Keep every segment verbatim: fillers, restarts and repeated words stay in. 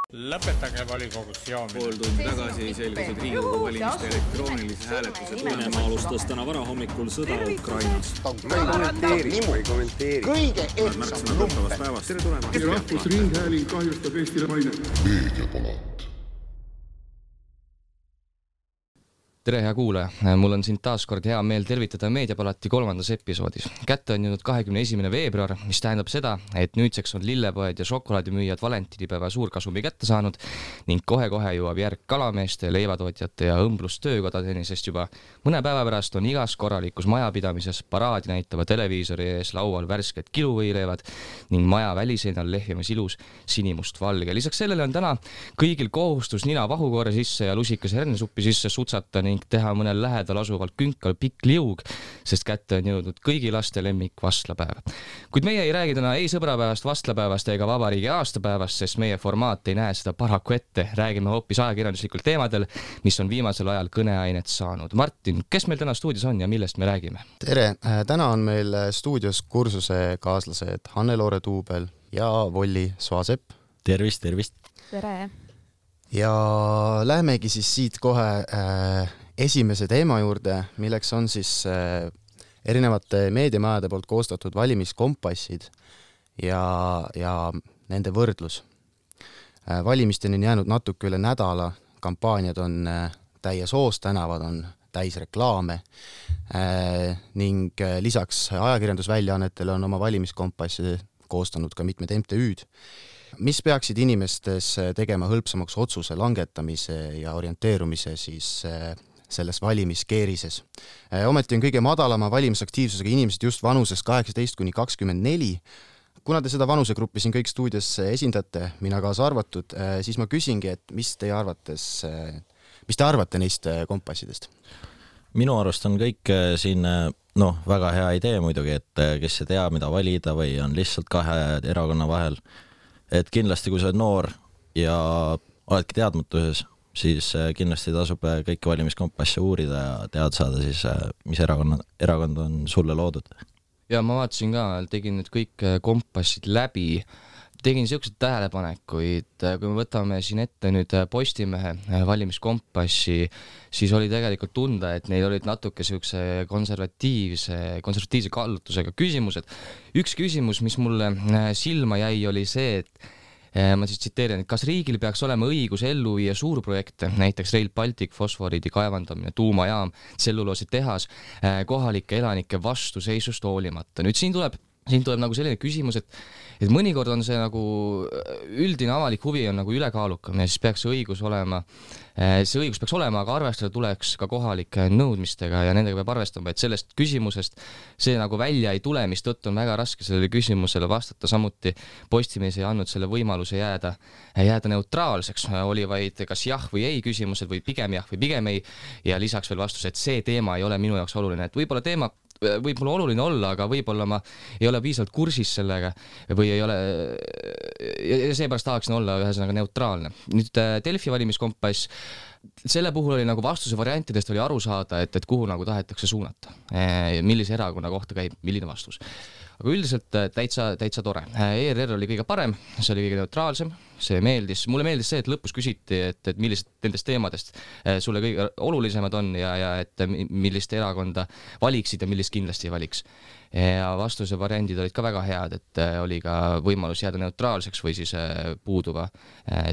Lõpetage volikogus joomine. Pool tundi tagasi selgusid Riigikogu valimiste elektroonilise hääletuse Venemaa alustas täna varahommikul sõda Ukrainas. Ma ei kommenteeri, ma ei kommenteeri. Kõige ehtsam lumpe. Tere tulemast. Rahvusringhääling kahjustab Eestile maine. Meediapalat. Tere hea kuulaja, mul on sind taas kord hea meel tervitada Meediapalati kolmandas episoodis. Kätte on jõudnud kahekümne esimene veebruar, mis tähendab seda, et nüüdseks on lillepoed ja šokolaadimüüjad valentinipäeva suurkasumi kätte saanud ning kohe-kohe jõuab järg kalameeste, leivatootjate ja õmblustöökodadeni, sest juba mõne päeva pärast on igas korralikus majapidamises paraadi näitava televiisori ees laual värsked kiluvõileivad ning maja väliseinal lehvimas ilus sinimust-valge. Lisaks sellele on täna kõigil kohustus nina vahukoore sisse ja lusikas hernesuppi sisse sutsata ning teha mõnel lähedal asuval künkal pikk liug, sest kätte on jõudnud kõigi laste lemmik vastlapäev. Kuid meie ei räägi täna ei sõbrapäevast, vastlapäevast ega vabariigi aastapäevast, sest meie formaat ei näe seda paraku ette. Räägime hoopis ajakirjanduslikul teemadel, mis on viimasel ajal kõneainet saanud. Martin, kes meil täna stuudios on ja millest me räägime? Tere, täna on meil stuudios kursuse kaaslased Hanne-Loore Tuubel ja Volli Soasepp. Tervist, tervist. Tere. Ja lähemegi siis siit kohe äh, esimese teema juurde, milleks on siis äh, erinevate meediamajade poolt koostatud valimiskompassid ja, ja nende võrdlus. Äh, valimisteni on jäänud natuke üle nädala, kampaaniad on äh, täies hoos, tänavad on täis reklaame äh, ning äh, lisaks ajakirjandusväljaannetele on oma valimiskompassi koostanud ka mitmed M T Ü'd. Mis peaksid inimestes tegema hõlpsamaks otsuse langetamise ja orienteerumise siis selles valimiskeerises. Ometi on kõige madalama valimisaktiivsusega inimesed just vanuses kaheksateist kuni kakskümmend neli. Kuna te seda vanusegruppi siin kõik stuudios esindate, mina kaasa arvatud, siis ma küsingi, et mis teie arvates, mis te arvate neist kompassidest? Minu arust on kõik siin no, väga hea idee muidugi, et kes ei tea, mida valida või on lihtsalt kahe erakonna vahel. Et kindlasti, kui sa oled noor ja oledki teadmatuses, siis kindlasti tasub kõiki valimiskompasse uurida ja tead saada siis, mis erakond, erakond on sulle loodud. Ja ma vaatasin ka, tegin nüüd kõik kompassid läbi, tegin siuksed tähelepanekuid, kui me võtame siin ette nüüd Postimehe valimiskompassi, siis oli tegelikult tunda, et neil olid natuke siukse konservatiivse, konservatiivse kallutusega küsimused. Üks küsimus, mis mulle silma jäi, oli see, et ma siis tsiteerin, et kas riigil peaks olema õigus ellu viia suurprojekte, näiteks Rail Baltic, fosforiidi kaevandamine, tuumajaam, tselluloosi tehas, kohalike elanike vastuseisust hoolimata. Nüüd siin tuleb Siin tuleb nagu selline küsimus, et, et mõnikord on see nagu üldine avalik huvi on nagu ülekaalukam ja siis peaks see õigus olema, see õigus peaks olema, aga arvestada tuleks ka kohalike nõudmistega ja nendega peab arvestama, et sellest küsimusest see nagu välja ei tule, mis tõttu on väga raske sellele küsimusele vastata. Samuti Postimees ei andnud selle võimaluse jääda, jääda neutraalseks, oli vaid kas jah või ei küsimused või pigem jah või pigem ei ja lisaks veel vastus, et see teema ei ole minu jaoks oluline, et võib-olla teema võib mul oluline olla, aga võib-olla ma ei ole piisavalt kursis sellega või ei ole ja seepärast tahaksin olla ühesõnaga neutraalne. Nüüd Delfi valimiskompass, selle puhul oli nagu vastuse variantidest oli aru saada, et, et kuhu nagu tahetakse suunata, millise erakonna kohta käib, milline vastus. Aga üldiselt täitsa, täitsa tore. E R R oli kõige parem, see oli kõige neutraalsem, see meeldis. Mulle meeldis see, et lõpus küsiti, et, et millised nendest teemadest sulle kõige olulisemad on ja, ja et millist erakonda valiksid ja millist kindlasti ei valiks. Ja vastuse variandid olid ka väga head, et oli ka võimalus jääda neutraalseks või siis puuduva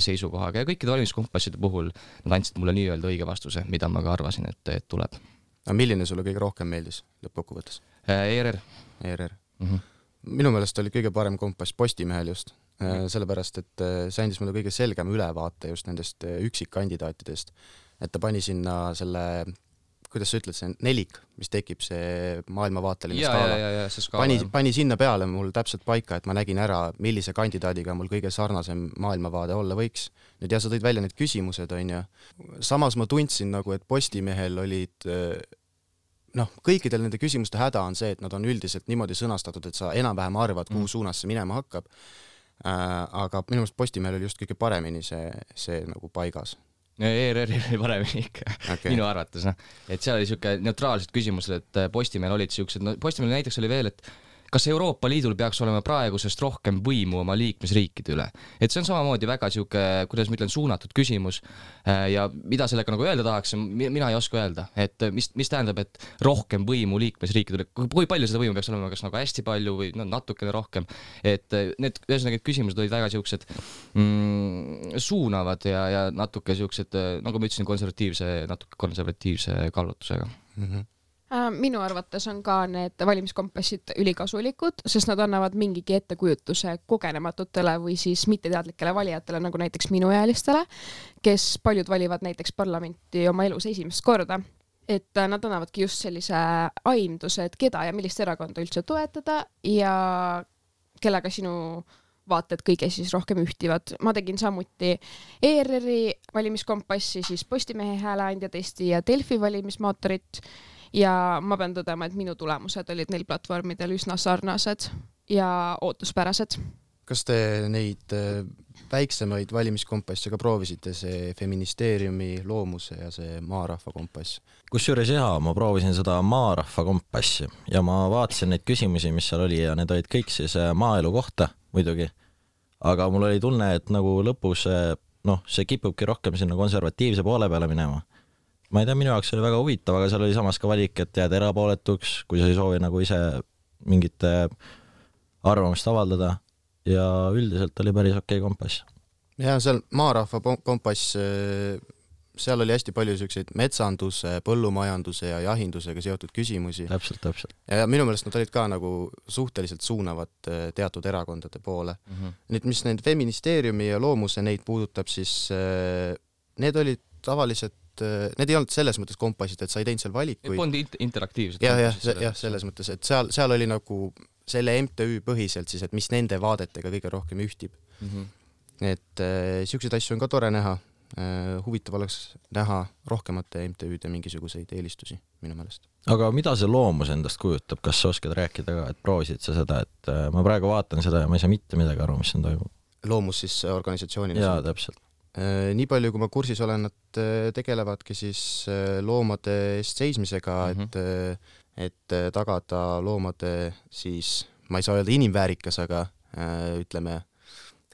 seisukohaga. Ja kõikide valimiskompasside puhul nad andsid mulle nii-öelda õige vastuse, mida ma ka arvasin, et, et tuleb. A milline sulle kõige rohkem meeldis lõppkokkuvõttes? E R R. E R R. Mm-hmm. Minu meelest oli kõige parem kompass Postimehel just, sellepärast, et see andis mulle kõige selgem ülevaate just nendest üksikkandidaatidest, et ta pani sinna selle, kuidas sa ütled, see nelik, mis tekib see maailmavaateline ja, skaala. Ja, ja, see skaala pani, pani sinna peale mul täpselt paika, et ma nägin ära, millise kandidaadiga mul kõige sarnasem maailmavaade olla võiks. Nüüd ja sa tõid välja need küsimused, on ja. Samas ma tundsin nagu, et Postimehel olid noh, kõikidel nende küsimuste häda on see, et nad on üldiselt niimoodi sõnastatud, et sa enam-vähem arvad, kuhu suunas see minema hakkab. Äh, aga minu meelest Postimehel oli just kõige paremini see, see nagu paigas. E R R oli paremini ikka, okay. Minu arvates. No. Et seal oli siuke neutraalsed küsimused, et Postimehel olid siuksed, no Postimehel näiteks oli veel, et kas Euroopa Liidul peaks olema praegusest rohkem võimu oma liikmesriikide üle. Et see on samamoodi väga siuke, kuidas ma ütlen, suunatud küsimus ja mida sellega nagu öelda tahaks, mina ei oska öelda, et mis, mis tähendab, et rohkem võimu liikmesriikide üle, kui palju seda võimu peaks olema, kas nagu hästi palju või no, natukene rohkem, et need, ühesõnaga, et küsimused olid väga siuksed mm, suunavad ja, ja natuke siuksed, nagu ma ütlesin, konservatiivse, natuke konservatiivse kallutusega. Mm-hmm. Minu arvates on ka need valimiskompassid ülikasulikud, sest nad annavad mingigi ettekujutuse kogenematutele või siis mitteteadlikele valijatele, nagu näiteks minuealistele, kes paljud valivad näiteks parlamenti oma elus esimest korda. Et nad annavadki just sellise aimduse, et keda ja millist erakonda üldse toetada ja kellega sinu vaated kõige siis rohkem ühtivad. Ma tegin samuti E R R-i valimiskompassi, siis Postimehe hääleandja testi ja Delfi valimismootorit. Ja ma pean tõdema, et minu tulemused olid neil platvormidel üsna sarnased ja ootuspärased. Kas te neid väiksemaid valimiskompasse ka proovisite, see feministeeriumi loomuse ja see maarahva kompass? Kusjuures jah, ma proovisin seda maarahva kompassi ja ma vaatasin neid küsimusi, mis seal oli ja need olid kõik siis maaelu kohta muidugi. Aga mul oli tunne, et nagu lõpus noh, see kipubki rohkem sinna konservatiivse poole peale minema. Ma ei tea, minu jaoks oli väga huvitav, aga seal oli samas ka valik, et jääd erapooletuks, kui sa ei soovi nagu ise mingit arvamust avaldada ja üldiselt oli päris okei kompass. Ja seal maarahva kompass, seal oli hästi palju selliseid metsanduse, põllumajanduse ja jahindusega seotud küsimusi. Täpselt, täpselt. Ja minu meelest nad olid ka nagu suhteliselt suunavad teatud erakondade poole. Mm-hmm. Nüüd, mis need feministeeriumi ja loomuse neid puudutab, siis need olid tavaliselt need ei olnud selles mõttes kompassid, et sa ei teinud seal valikuid. Need polnud interaktiivsed. Ja, ja, ja selles mõttes, et seal, seal oli nagu selle M T Ü põhiselt siis, et mis nende vaadetega kõige rohkem ühtib. Mm-hmm. Et äh, siukseid asju on ka tore näha. Äh, huvitav oleks näha rohkemate M T Ü-de mingisuguseid eelistusi minu meelest. Aga mida see loomus endast kujutab? Kas sa oskad rääkida ka, et proovisid sa seda, et äh, ma praegu vaatan seda ja ma ei saa mitte midagi aru, mis on toimub? Loomus siis organisatsioonina? Jaa, täpselt. Nii palju, kui ma kursis olen, nad tegelevadki siis loomade eest seismisega, mm-hmm. et, et tagada loomade siis, ma ei saa öelda inimväärikas, aga ütleme,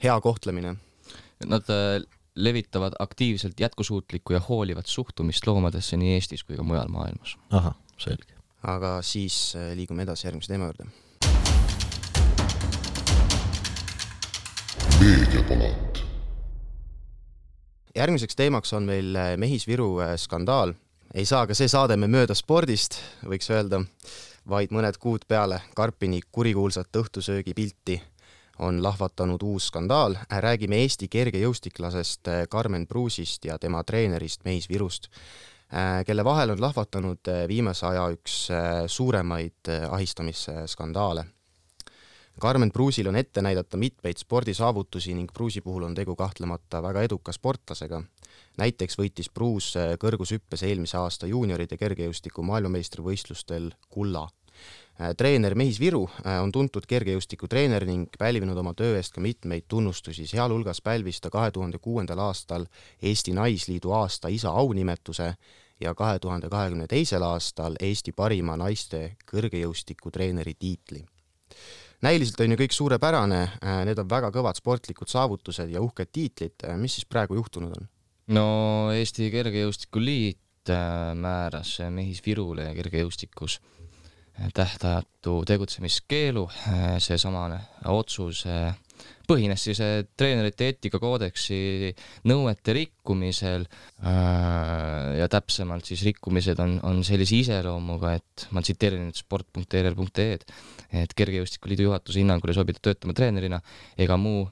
hea kohtlemine. Nad levitavad aktiivselt jätkusuutlikku ja hoolivat suhtumist loomadesse nii Eestis kui ka mujal maailmas. Aha, selge. Aga siis liigume edasi järgmise teema juurde. Meediapalat. Järgmiseks teemaks on meil Mehis-Viru skandaal. Ei saa ka see saade me mööda spordist, võiks öelda, vaid mõned kuud peale Karpini kurikuulsat õhtusöögi pilti on lahvatanud uus skandaal. Räägime Eesti kergejõustiklasest Karmen Pruusist ja tema treenerist Mehis-Virust, kelle vahel on lahvatanud viimase aja üks suuremaid ahistamisskandaale. Karmen Pruusil on ette näidata mitmeid spordisaavutusi ning Pruusi puhul on tegu kahtlemata väga eduka sportlasega. Näiteks võitis Pruus kõrgushüppes eelmise aasta juunioride kergejõustiku maailmameistrivõistlustel kulla. Treener Mehis-Viru on tuntud kergejõustiku treener ning pälvinud oma töö eest ka mitmeid tunnustusi. Sealhulgas pälvis ta kahe tuhande kuuendal aastal Eesti Naisliidu aasta isa aunimetuse ja kahe tuhande kahekümne teisel aastal Eesti parima naiste kõrgejõustiku treeneri tiitli. Näiliselt on ju kõik suurepärane, need on väga kõvad sportlikud saavutused ja uhked tiitlid. Mis siis praegu juhtunud on? No Eesti Kergejõustikuliit määras Mehis-Virule kergejõustikus tähtajatu tegutsemiskeelu. See samane otsus põhines siis treenerite eetikakoodeksi nõuete rikkumisel ja täpsemalt siis rikkumised on, on sellise iseloomuga, et ma tsiteerin nüüd sport punkt e r r punkt e d, et Kergejõustikuliidu juhatuse hinnangul ei sobita töötama treenerina ega muu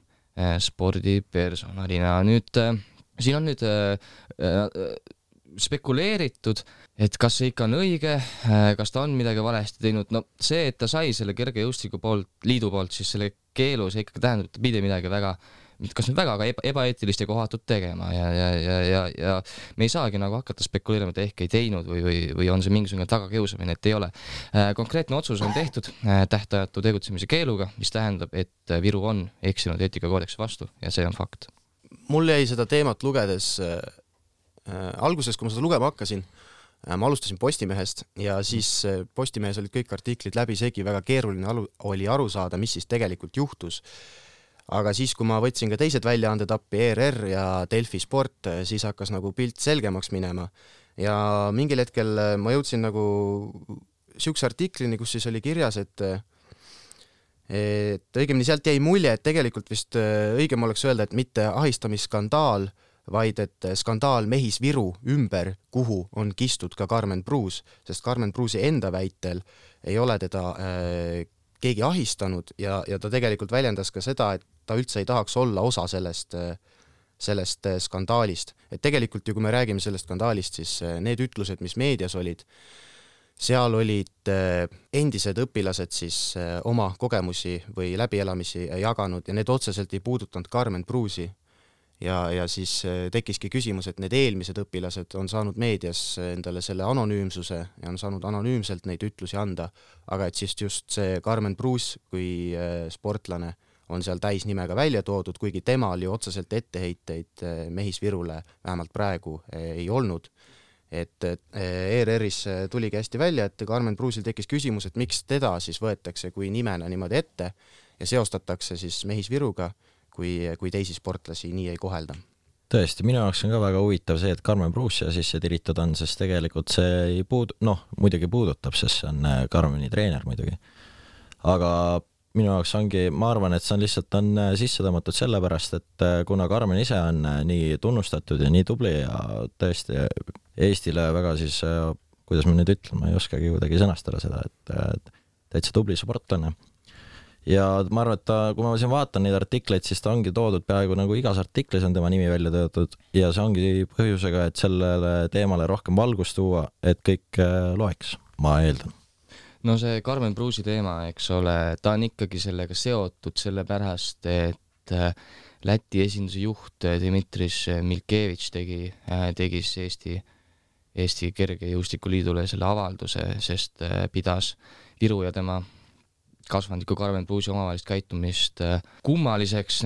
spordipersonalina. Nüüd, siin on nüüd spekuleeritud, et kas see ikka on õige, kas ta on midagi valesti teinud. No see, et ta sai selle kergejõustiku poolt, liidu poolt siis selle keelu, see ikkagi tähendab, et ta pidi midagi väga, kas nüüd väga eba, ebaeetilist ja kohatut tegema ja, ja, ja, ja, ja me ei saagi nagu hakata spekuleerima, et ehk ei teinud või, või, või on see mingisugune tagakiusamine, et ei ole. Konkreetne otsus on tehtud tähtajatu tegutsemise keeluga, mis tähendab, et Viru on eksinud eetikakoodeksi vastu ja see on fakt. Mul jäi seda teemat lugedes Äh, alguses, kui ma seda lugema hakkasin, ma alustasin Postimehest ja siis Postimehes olid kõik artiklid läbisegi, väga keeruline alu, oli aru saada, mis siis tegelikult juhtus. Aga siis, kui ma võtsin ka teised väljaanded appi, E R R ja Delfi Sport, siis hakkas nagu pilt selgemaks minema. Ja mingil hetkel ma jõudsin nagu siukse artiklini, kus siis oli kirjas, et et õigemini sealt jäi mulje, et tegelikult vist õigem oleks öelda, et mitte ahistamisskandaal, vaid et skandaal Mehis Viru ümber, kuhu on kistud ka Karmen Pruus, sest Karmen Pruusi enda väitel ei ole teda äh, keegi ahistanud ja, ja ta tegelikult väljendas ka seda, et ta üldse ei tahaks olla osa sellest, sellest skandaalist. Et tegelikult ju, kui me räägime sellest skandaalist, siis need ütlused, mis meedias olid, seal olid endised õpilased siis oma kogemusi või läbielamisi jaganud ja need otseselt ei puudutanud Karmen Pruusi. Ja, ja siis tekkiski küsimus, et need eelmised õpilased on saanud meedias endale selle anonüümsuse ja on saanud anonüümselt neid ütlusi anda, aga et siis just see Karmen Pruus kui sportlane on seal täisnimega välja toodud, kuigi temal ju otseselt etteheiteid Mehis Virule vähemalt praegu ei olnud. Et E R R-is tuligi hästi välja, et Karmen Pruusil tekkis küsimus, et miks teda siis võetakse kui nimena niimoodi ette ja seostatakse siis Mehis Viruga, kui, kui teisi sportlasi nii ei kohelda. Tõesti, minu jaoks on ka väga huvitav see, et Karmen Pruus siia sisse tiritud on, sest tegelikult see ei puud-, noh, muidugi puudutab, sest see on Karmeni treener muidugi. Aga minu jaoks ongi, ma arvan, et see on lihtsalt on sisse tõmmatud sellepärast, et kuna Karmen ise on nii tunnustatud ja nii tubli ja tõesti Eestile väga siis, kuidas ma nüüd ütlen, ma ei oskagi kuidagi sõnastada seda, et täitsa tubli sportlane. Ja ma arvan, et ta, kui ma siin vaatan neid artikleid, siis ta ongi toodud peaaegu nagu igas artiklis on tema nimi välja töötud ja see ongi põhjusega, et sellele teemale rohkem valgust tuua, et kõik loeks, ma eeldan. No see Karmen Pruusi teema, eks ole, ta on ikkagi sellega seotud sellepärast, et Läti esinduse juht Dimitris Milkevitš tegi, tegi Eesti, Eesti kergejõustikuliidule selle avalduse, sest pidas Viru ja tema kasvandiku Karmen Pruusi omavahelist käitumist kummaliseks.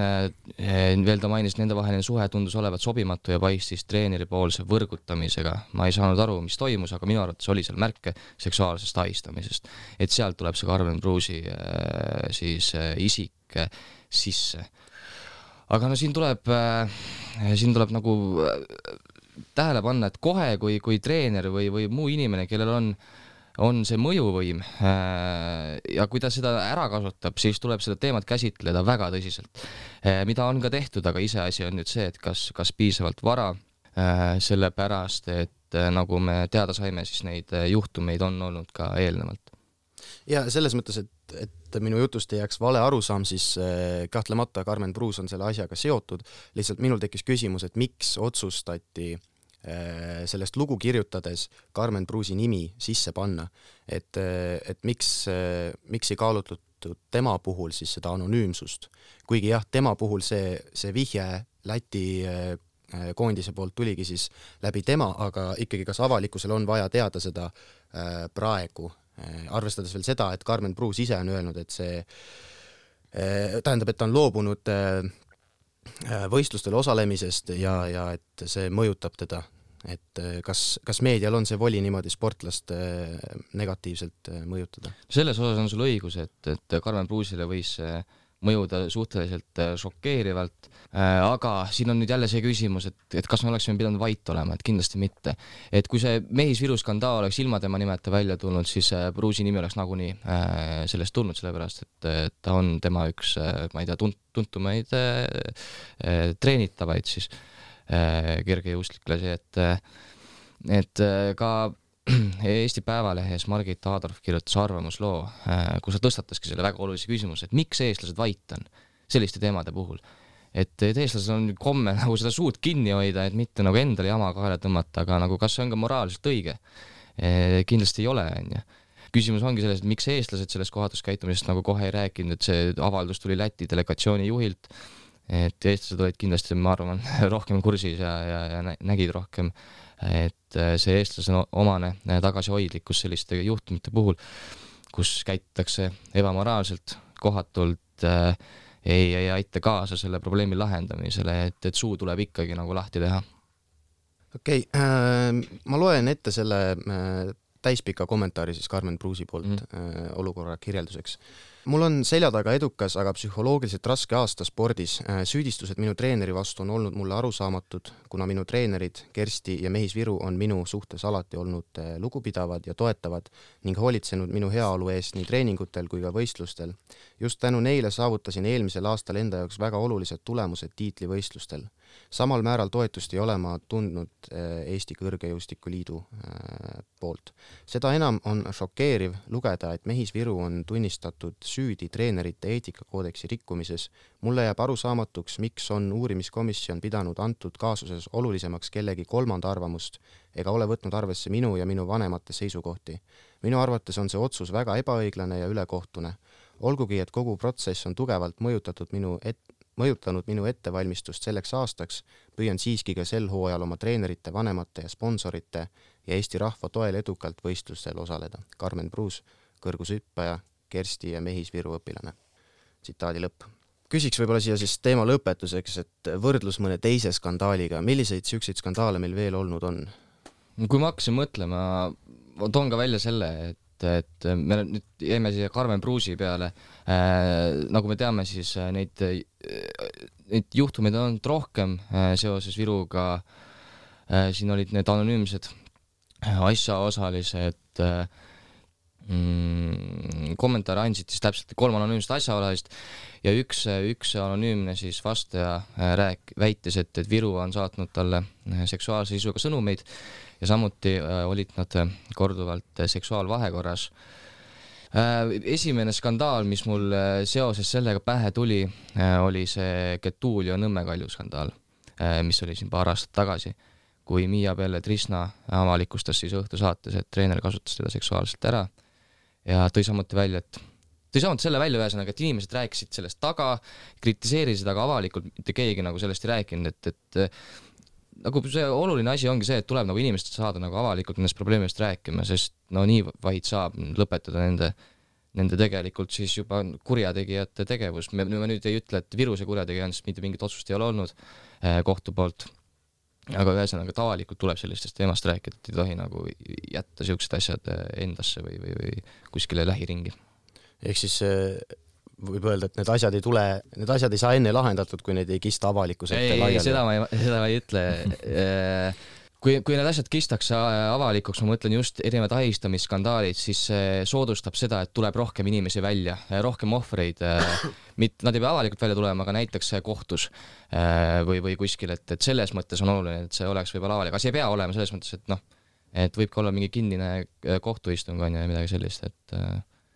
Veel ta mainis, nende vaheline suhe tundus olevat sobimatu ja paistis treeneri poolse võrgutamisega. Ma ei saanud aru, mis toimus, aga minu arvates oli seal märke seksuaalsest ahistamisest. Et sealt tuleb see Karmen Pruusi siis isik sisse. Aga no siin tuleb, siin tuleb nagu tähele panna, et kohe kui, kui treener või, või muu inimene, kellel on on see mõjuvõim ja kui ta seda ära kasutab, siis tuleb seda teemat käsitleda väga tõsiselt, mida on ka tehtud, aga ise asi on nüüd see, et kas, kas piisavalt vara, sellepärast, et nagu me teada saime, siis neid juhtumeid on olnud ka eelnevalt. Ja selles mõttes, et, et minu jutust ei jääks vale arusaam, siis kahtlemata Karmen Pruus on selle asjaga seotud. Lihtsalt minul tekkis küsimus, et miks otsustati sellest lugu kirjutades Karmen Pruusi nimi sisse panna, et, et miks, miks ei kaalutlutud tema puhul siis seda anonüümsust. Kuigi jah, tema puhul see, see vihje Läti koondise poolt tuligi siis läbi tema, aga ikkagi kas avalikkusel on vaja teada seda praegu, arvestades veel seda, et Karmen Pruus ise on öelnud, et see tähendab, et ta on loobunud võistlustel osalemisest ja, ja et see mõjutab teda, et kas, kas meedial on see voli niimoodi sportlast negatiivselt mõjutada? Selles osas on sul õigus, et, et Karmen Pruusile võis mõjuda suhteliselt šokeerivalt, aga siin on nüüd jälle see küsimus, et, et kas me oleksime pidanud vait olema, et kindlasti mitte. Et kui see Mehis Viru skandaal oleks ilma tema nimeta välja tulnud, siis Pruusi nimi oleks nagunii sellest tulnud, sellepärast, et ta on tema üks, ma ei tea, tuntumaid treenitavaid siis kergejõustiklasi, et, et ka Eesti Päevalehes Margit Aadorf kirjutas arvamusloo, kus ta tõstataski selle väga olulise küsimuse, et miks eestlased vait on selliste teemade puhul. Et eestlased on komme nagu seda suud kinni hoida, et mitte nagu endale jama kaela tõmmata, aga nagu kas see on ka moraalselt õige? Kindlasti ei ole. Küsimus ongi selles, et miks eestlased sellest kohatus käitumisest nagu kohe ei rääkinud, et see avaldus tuli Läti delegatsiooni juhilt, et eestlased olid kindlasti, ma arvan, rohkem kursis ja, ja, ja nägid rohkem, et see eestlase omane tagasihoidlikkus selliste juhtumite puhul, kus käitutakse ebamoraalselt, kohatult äh, ei, ei aita kaasa selle probleemi lahendamisele, et, et suu tuleb ikkagi nagu lahti teha. okei okay, äh,, ma loen ette selle äh, täispika kommentaari siis Karmen Pruusi poolt mm. äh, olukorra kirjelduseks. Mul on selja taga edukas, aga psühholoogiliselt raske aasta spordis. Süüdistused minu treeneri vastu on olnud mulle arusaamatud, kuna minu treenerid Kersti ja Mehis Viru on minu suhtes alati olnud lugupidavad ja toetavad ning hoolitsenud minu heaolu eest nii treeningutel kui ka võistlustel. Just tänu neile saavutasin eelmisel aastal enda jaoks väga olulised tulemused tiitlivõistlustel. Samal määral toetust ei ole ma tundnud Eesti Kõrgejõustiku Liidu poolt. Seda enam on šokeeriv lugeda, et Mehis Viru on tunnistatud süüdi treenerite eetikakoodeksi rikkumises. Mulle jääb arusaamatuks, miks on uurimiskomisjon pidanud antud kaasuses olulisemaks kellegi kolmanda arvamust ega ole võtnud arvesse minu ja minu vanemate seisukohti. Minu arvates on see otsus väga ebaõiglane ja ülekohtune. Olgugi, et kogu protsess on tugevalt mõjutatud minu et mõjutanud minu ettevalmistust selleks aastaks, püüan siiski ka sel hooajal oma treenerite, vanemate ja sponsorite ja Eesti rahva toel edukalt võistlustel osaleda. Karmen Pruus, kõrgushüppaja, Kersti ja Mehis Viru õpilane. Tsitaadi lõpp. Küsiks võib-olla siia siis teema lõpetuseks, et võrdlus mõne teise skandaaliga. Milliseid siukseid skandaale meil veel olnud on? Kui ma hakkasin mõtlema, toon ka välja selle, et et me nüüd jäime siia Karmen Pruusi peale, äh, nagu me teame, siis neid, neid juhtumeid on rohkem äh, seoses Viruga, äh, siin olid need anonüümsed asjaosalised, äh, mm, kommentaare andsid siis täpselt kolm anonüümset asjaosalist ja üks, üks anonüümne siis vastaja rääk, väitis, et, et Viru on saatnud talle seksuaalse sisuga sõnumeid ja samuti äh, olid nad korduvalt seksuaalvahekorras. Äh, esimene skandaal, mis mul seoses sellega pähe tuli, äh, oli see Getulio Nõmme Kalju skandaal, äh, mis oli siin paar aastat tagasi, kui Miia Pelletrisna avalikustas siis õhtusaates, et treener kasutas teda seksuaalselt ära ja tõi samuti välja, et tõi samuti selle välja ühesõnaga, et inimesed rääkisid sellest taga, kritiseerisid, aga avalikult mitte keegi nagu sellest ei rääkinud, et, et nagu see oluline asi ongi see, et tuleb nagu inimesed saada nagu avalikult nendest probleemidest rääkima, sest no nii vaid saab lõpetada nende, nende tegelikult siis juba kurjategijate tegevus. Me, me nüüd ei ütle, et Viruse kurjategija on, sest mitte mingit otsust ei ole olnud eh, kohtu poolt, aga ühesõnaga tavalikult tuleb sellistest teemast rääkida, et ei tohi nagu jätta siuksed asjad endasse või, või, või kuskile lähiringi. Ehk siis võib öelda, et need asjad ei tule, need asjad ei saa enne lahendatud, kui need ei kista avalikkuse ette laiali. Ei, seda ma ei, seda ma ei ütle. Kui, kui need asjad kistakse avalikuks, ma mõtlen just erinevad ahistamisskandaalid, siis soodustab seda, et tuleb rohkem inimesi välja, rohkem ohvreid. Nad ei pea avalikult välja tulema, aga näiteks kohtus või, või kuskil, et, et selles mõttes on oluline, et see oleks võib-olla avalik. Aga see ei pea olema selles mõttes, et noh, et võib ka olla mingi kinnine kohtuistung on ja midagi sellist, et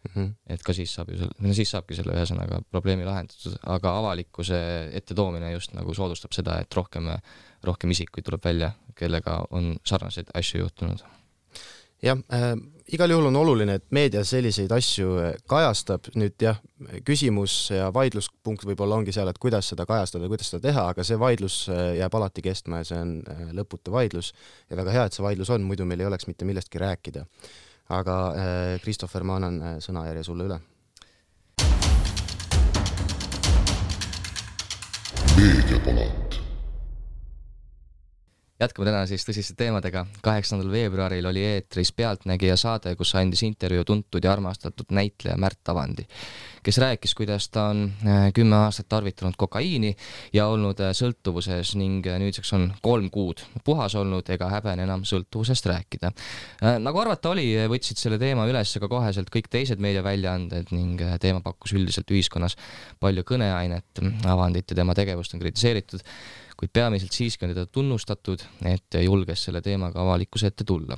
Mm-hmm. et ka siis saab ju selle, siis saabki selle ühesõnaga probleemi lahendatud, aga avalikkuse ettetoomine just nagu soodustab seda, et rohkem, rohkem isikuid tuleb välja, kellega on sarnaseid asju juhtunud. Jah, äh, igal juhul on oluline, et meedia selliseid asju kajastab. Nüüd jah, küsimus ja vaidluspunkt võib-olla ongi seal, et kuidas seda kajastada, kuidas seda teha, aga see vaidlus jääb alati kestma ja see on lõputu vaidlus ja väga hea, et see vaidlus on, muidu meil ei oleks mitte millestki rääkida. Aga Kristoffer, ma annan sõnajärje sulle üle. Meediapalat. Jätkame täna siis tõsiste teemadega. kaheksandal veebruaril oli eetris Pealtnägija saade, kus andis intervjuu tuntud ja armastatud näitleja Märt Avandi, kes rääkis, kuidas ta on kümme aastat tarvitanud kokaiini ja olnud sõltuvuses ning nüüdseks on kolm kuud puhas olnud ega häbene enam sõltuvusest rääkida. Nagu arvata oli, võtsid selle teema üles ka koheselt kõik teised meediaväljaanded ning teema pakkus üldiselt ühiskonnas palju kõneainet. Avandit ja tema tegevust on kritiseeritud, kuid peamiselt siiski on teda tunnustatud, et julges selle teemaga avalikkuse ette tulla.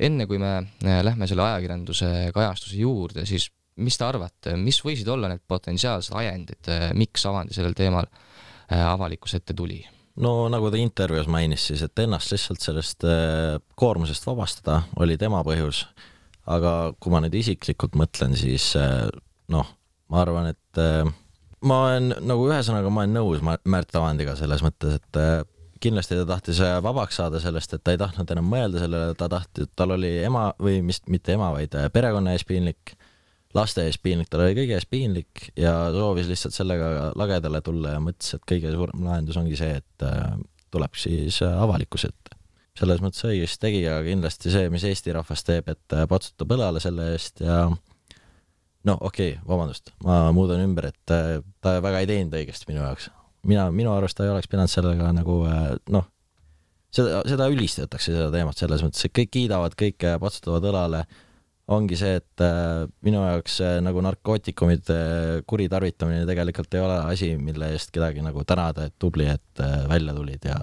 Enne kui me lähme selle ajakirjanduse kajastuse juurde, siis mis te arvate, mis võisid olla need potentsiaalsed ajendid, miks Avandi sellel teemal avalikkuse ette tuli? No nagu ta intervjuus mainis siis, et ennast lihtsalt sellest koormusest vabastada oli tema põhjus, aga kui ma nüüd isiklikult mõtlen, siis noh, ma arvan, et ma olen nagu ühesõnaga, ma olen nõus Märt Avandiga selles mõttes, et kindlasti ta tahtis vabaks saada sellest, et ta ei tahtnud enam mõelda sellele, ta tahti, tal oli ema või mis, mitte ema, vaid perekonna ees piinlik, laste ees piinlik, tal oli kõige ees piinlik ja soovis lihtsalt sellega lagedale tulla ja mõtles, et kõige suurem lahendus ongi see, et tuleb siis avalikus ette. selles mõttes õigesti tegi, aga kindlasti see, mis Eesti rahvas teeb, et patsutab õlale selle eest ja no okei, okay, vabandust, ma muudan ümber, et ta väga ei teinud õigesti minu jaoks. Mina, minu arust ta ei oleks pidanud sellega nagu noh, seda, seda ülistatakse seda teemat selles mõttes, et kõik kiidavad, kõik patsutavad õlale. Ongi see, et minu jaoks nagu narkootikumid kuritarvitamine tegelikult ei ole asi, mille eest kedagi nagu tänada, et tubli, et välja tulid ja,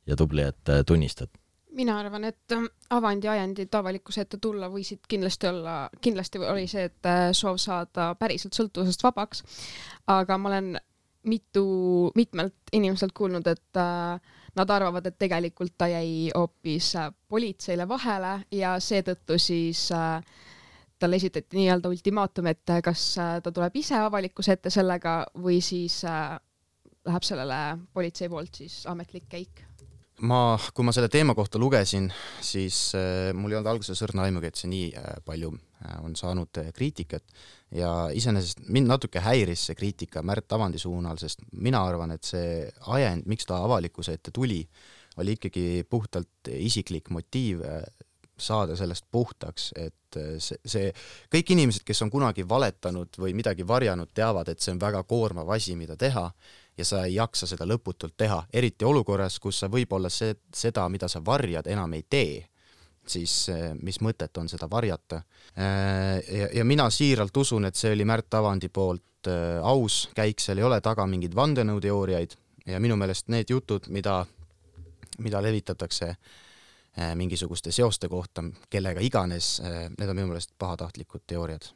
ja tubli, et tunnistad. Mina arvan, et Avandi ajendid avalikkuse ette tulla võisid kindlasti olla, kindlasti oli see, et soov saada päriselt sõltuvusest vabaks, aga ma olen mitu, mitmelt inimeselt kuulnud, et nad arvavad, et tegelikult ta jäi hoopis politseile vahele ja seetõttu siis talle esitati nii-öelda ultimaatum, et kas ta tuleb ise avalikkuse ette sellega või siis läheb sellele politsei poolt siis ametlik käik. Ma, kui ma selle teema kohta lugesin, siis mul ei olnud alguses õrna aimugi, et see nii palju on saanud kriitikat ja iseenesest mind natuke häiris see kriitika Märt Avandi suunal, sest mina arvan, et see ajend, miks ta avalikkuse ette tuli, oli ikkagi puhtalt isiklik motiiv saada sellest puhtaks, et see, see kõik inimesed, kes on kunagi valetanud või midagi varjanud, teavad, et see on väga koormav asi, mida teha ja sa ei jaksa seda lõputult teha, eriti olukorras, kus sa võib-olla see, seda, mida sa varjad, enam ei tee, siis mis mõtet on seda varjata. Ja, ja mina siiralt usun, et see oli Märt Avandi poolt aus käik, seal ei ole taga mingid vandenõuteooriaid ja minu meelest need jutud, mida, mida levitatakse mingisuguste seoste kohta, kellega iganes, need on minu meelest pahatahtlikud teooriad.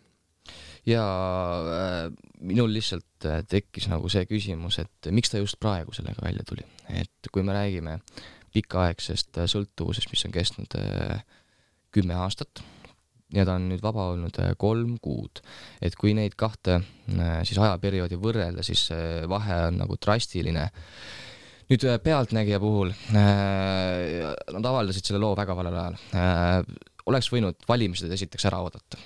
Ja äh, minul lihtsalt tekkis nagu see küsimus, et miks ta just praegu sellega välja tuli. Et kui me räägime pikaaegsest sõltuvusest, mis on kestnud äh, kümme aastat ja ta on nüüd vaba olnud äh, kolm kuud, et kui neid kahte äh, siis ajaperioodi võrrelda, siis äh, vahe on nagu drastiline. Nüüd äh, pealtnägija puhul äh, nad avaldasid selle loo väga valel ajal. Äh, oleks võinud valimised esiteks ära oodata,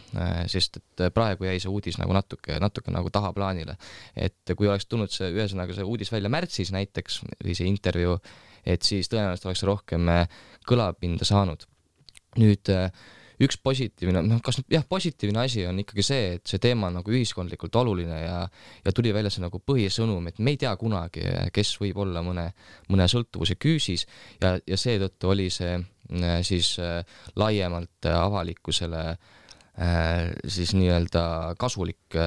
sest et praegu jäi see uudis nagu natuke, natuke nagu tahaplaanile. Et kui oleks tulnud see, ühesõnaga see uudis välja märtsis näiteks, või see intervjuu, et siis tõenäoliselt oleks rohkem kõlapinda saanud. Nüüd üks positiivne, noh, kas jah, positiivne asi on ikkagi see, et see teema on nagu ühiskondlikult oluline ja, ja tuli välja see nagu põhisõnum, et me ei tea kunagi, kes võib olla mõne, mõne sõltuvuse küüsis ja, ja seetõttu oli see siis laiemalt avalikkusele siis nii-öelda kasulik,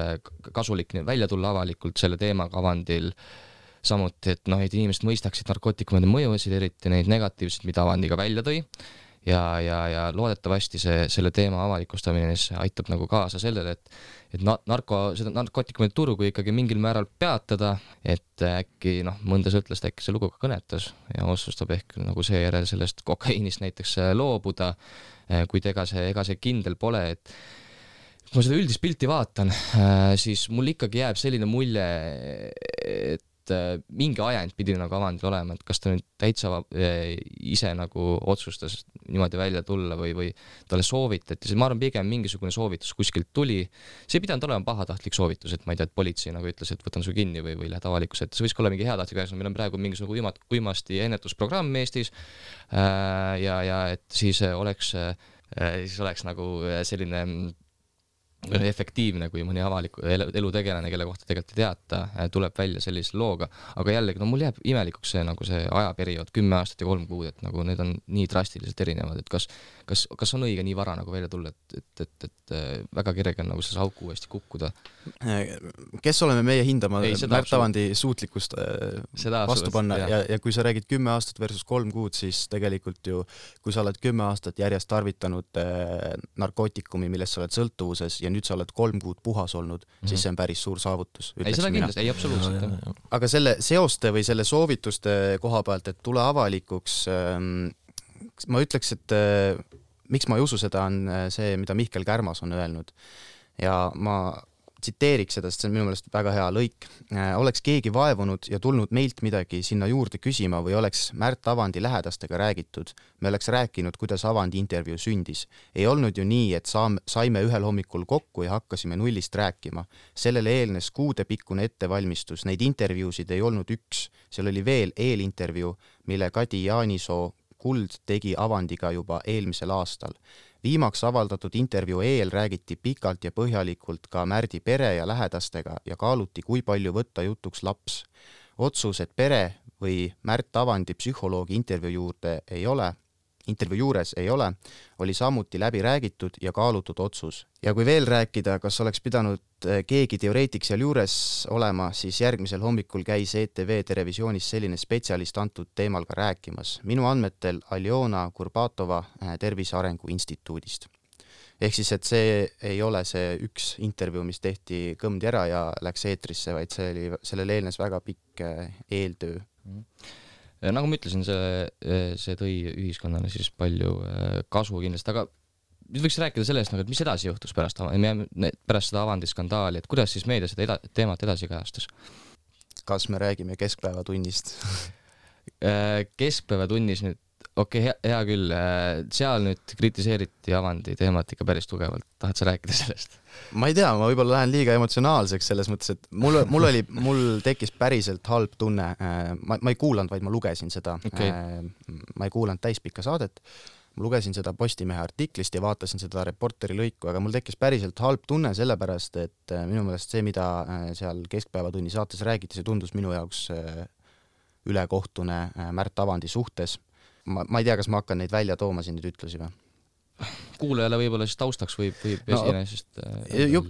kasulik välja tulla avalikult selle teemaga Avandil. Samuti, et, noh, et inimesed mõistaksid narkootikumide mõjusid, eriti neid negatiivseid, mida Avandiga välja tõi. Ja, ja, ja loodetavasti see, selle teema avalikustamine aitab nagu kaasa sellele, et, et narko, seda narkootikumide turgu ikkagi mingil määral peatada, et äkki noh, mõnda sõltlast äkki see lugu ka kõnetas ja otsustab ehk nagu seejärel sellest kokaiinist näiteks loobuda, kuid ega see, ega see kindel pole, et kui ma seda üldist pilti vaatan, siis mul ikkagi jääb selline mulje, et mingi ajend pidi nagu Avandil olema, et kas ta nüüd täitsa ise nagu otsustas niimoodi välja tulla või, või talle soovitati, ma arvan pigem mingisugune soovitus kuskilt tuli, see ei pidanud olema pahatahtlik soovitus, et ma ei tea, et politsei nagu ütles, et võtan su kinni või, või lähed avalikkuse ette, see võiks olla mingi heatahtlik asja, meil on praegu mingisugune uimat, uimasti ennetusprogramm Eestis ja, ja et siis oleks, siis oleks nagu selline efektiivne, kui mõni avaliku elutegelane, kelle kohta tegelikult ei teata, tuleb välja sellise looga, aga jällegi, no mul jääb imelikuks see, nagu see ajaperiood, kümme aastat ja kolm kuud, et nagu need on nii drastiliselt erinevad, et kas, kas, kas on õige nii vara nagu välja tulla, et, et, et, et väga kerge on nagu selles auku uuesti kukkuda. Kes oleme meie hindama Märt Avandi suutlikkust vastu panna ja, ja, ja kui sa räägid kümme aastat versus kolm kuud, siis tegelikult ju, kui sa oled kümme aastat järjest tarvitanud narkootikumi, millest sa oled sõltuvuses ja nüüd sa oled kolm kuud puhas olnud, mm-hmm. siis see on päris suur saavutus. Ei, seda kindlasti, ei absoluutselt. Aga selle seoste või selle soovituste koha pealt, et tule avalikuks, ma ütleks, et miks ma ei usu seda on see, mida Mihkel Kärmas on öelnud. Ja ma tsiteeriks seda, sest see on minu meelest väga hea lõik. Oleks keegi vaevunud ja tulnud meilt midagi sinna juurde küsima või oleks Märt Avandi lähedastega räägitud, me oleks rääkinud, kuidas Avandi intervjuu sündis. Ei olnud ju nii, et saame, saime ühel hommikul kokku ja hakkasime nullist rääkima. Sellele eelnes kuudepikkune ettevalmistus, neid intervjuusid ei olnud üks. Seal oli veel eelintervjuu, mille Kadi Jaanisoo Kuld tegi avandiga juba eelmisel aastal. Viimaks avaldatud intervjuu eel räägiti pikalt ja põhjalikult ka Märdi pere ja lähedastega ja kaaluti, kui palju võtta jutuks laps. Otsus, et pere või Märt Avandi psühholoogi intervjuu juurde ei ole, intervjuu juures ei ole, oli samuti läbi räägitud ja kaalutud otsus. Ja kui veel rääkida, kas oleks pidanud keegi teoreetik seal juures olema, siis järgmisel hommikul käis E T V televisioonis selline spetsialist antud teemal ka rääkimas. Minu andmetel Aljona Kurbatova Tervise Arengu Instituudist. Ehk siis, et see ei ole see üks intervjuu, mis tehti kõmdi ära ja läks eetrisse, vaid see oli, sellele eelnes väga pikk eeltöö. Nagu ma ütlesin, see, see tõi ühiskonnale siis palju kasu kindlasti, aga nüüd võiks rääkida sellest, et mis edasi juhtus pärast, pärast seda avandiskandaali, et kuidas siis meedia seda eda, teemat edasi kajastas? Kas me räägime keskpäevatunnist? Keskpäevatunnis nüüd, okei, okay, hea, hea küll, seal nüüd kritiseeriti avandi teemat ikka päris tugevalt, tahad sa rääkida sellest? Ma ei tea, ma võib-olla lähen liiga emotsionaalseks selles mõttes, et mul, mul oli, mul tekkis päriselt halb tunne, ma, ma ei kuulanud, vaid ma lugesin seda, okay. Ma ei kuulanud täispikka saadet, ma lugesin seda Postimehe artiklist ja vaatasin seda Reporteri lõiku, aga mul tekkis päriselt halb tunne sellepärast, et minu meelest see, mida seal Keskpäevatunni saates räägiti, see tundus minu jaoks ülekohtune Märt Avandi suhtes. Ma, ma ei tea, kas ma hakkan neid välja tooma siin nüüd ütlusi või? Kuulajale võib-olla siis taustaks võib, võib no, esine, sest...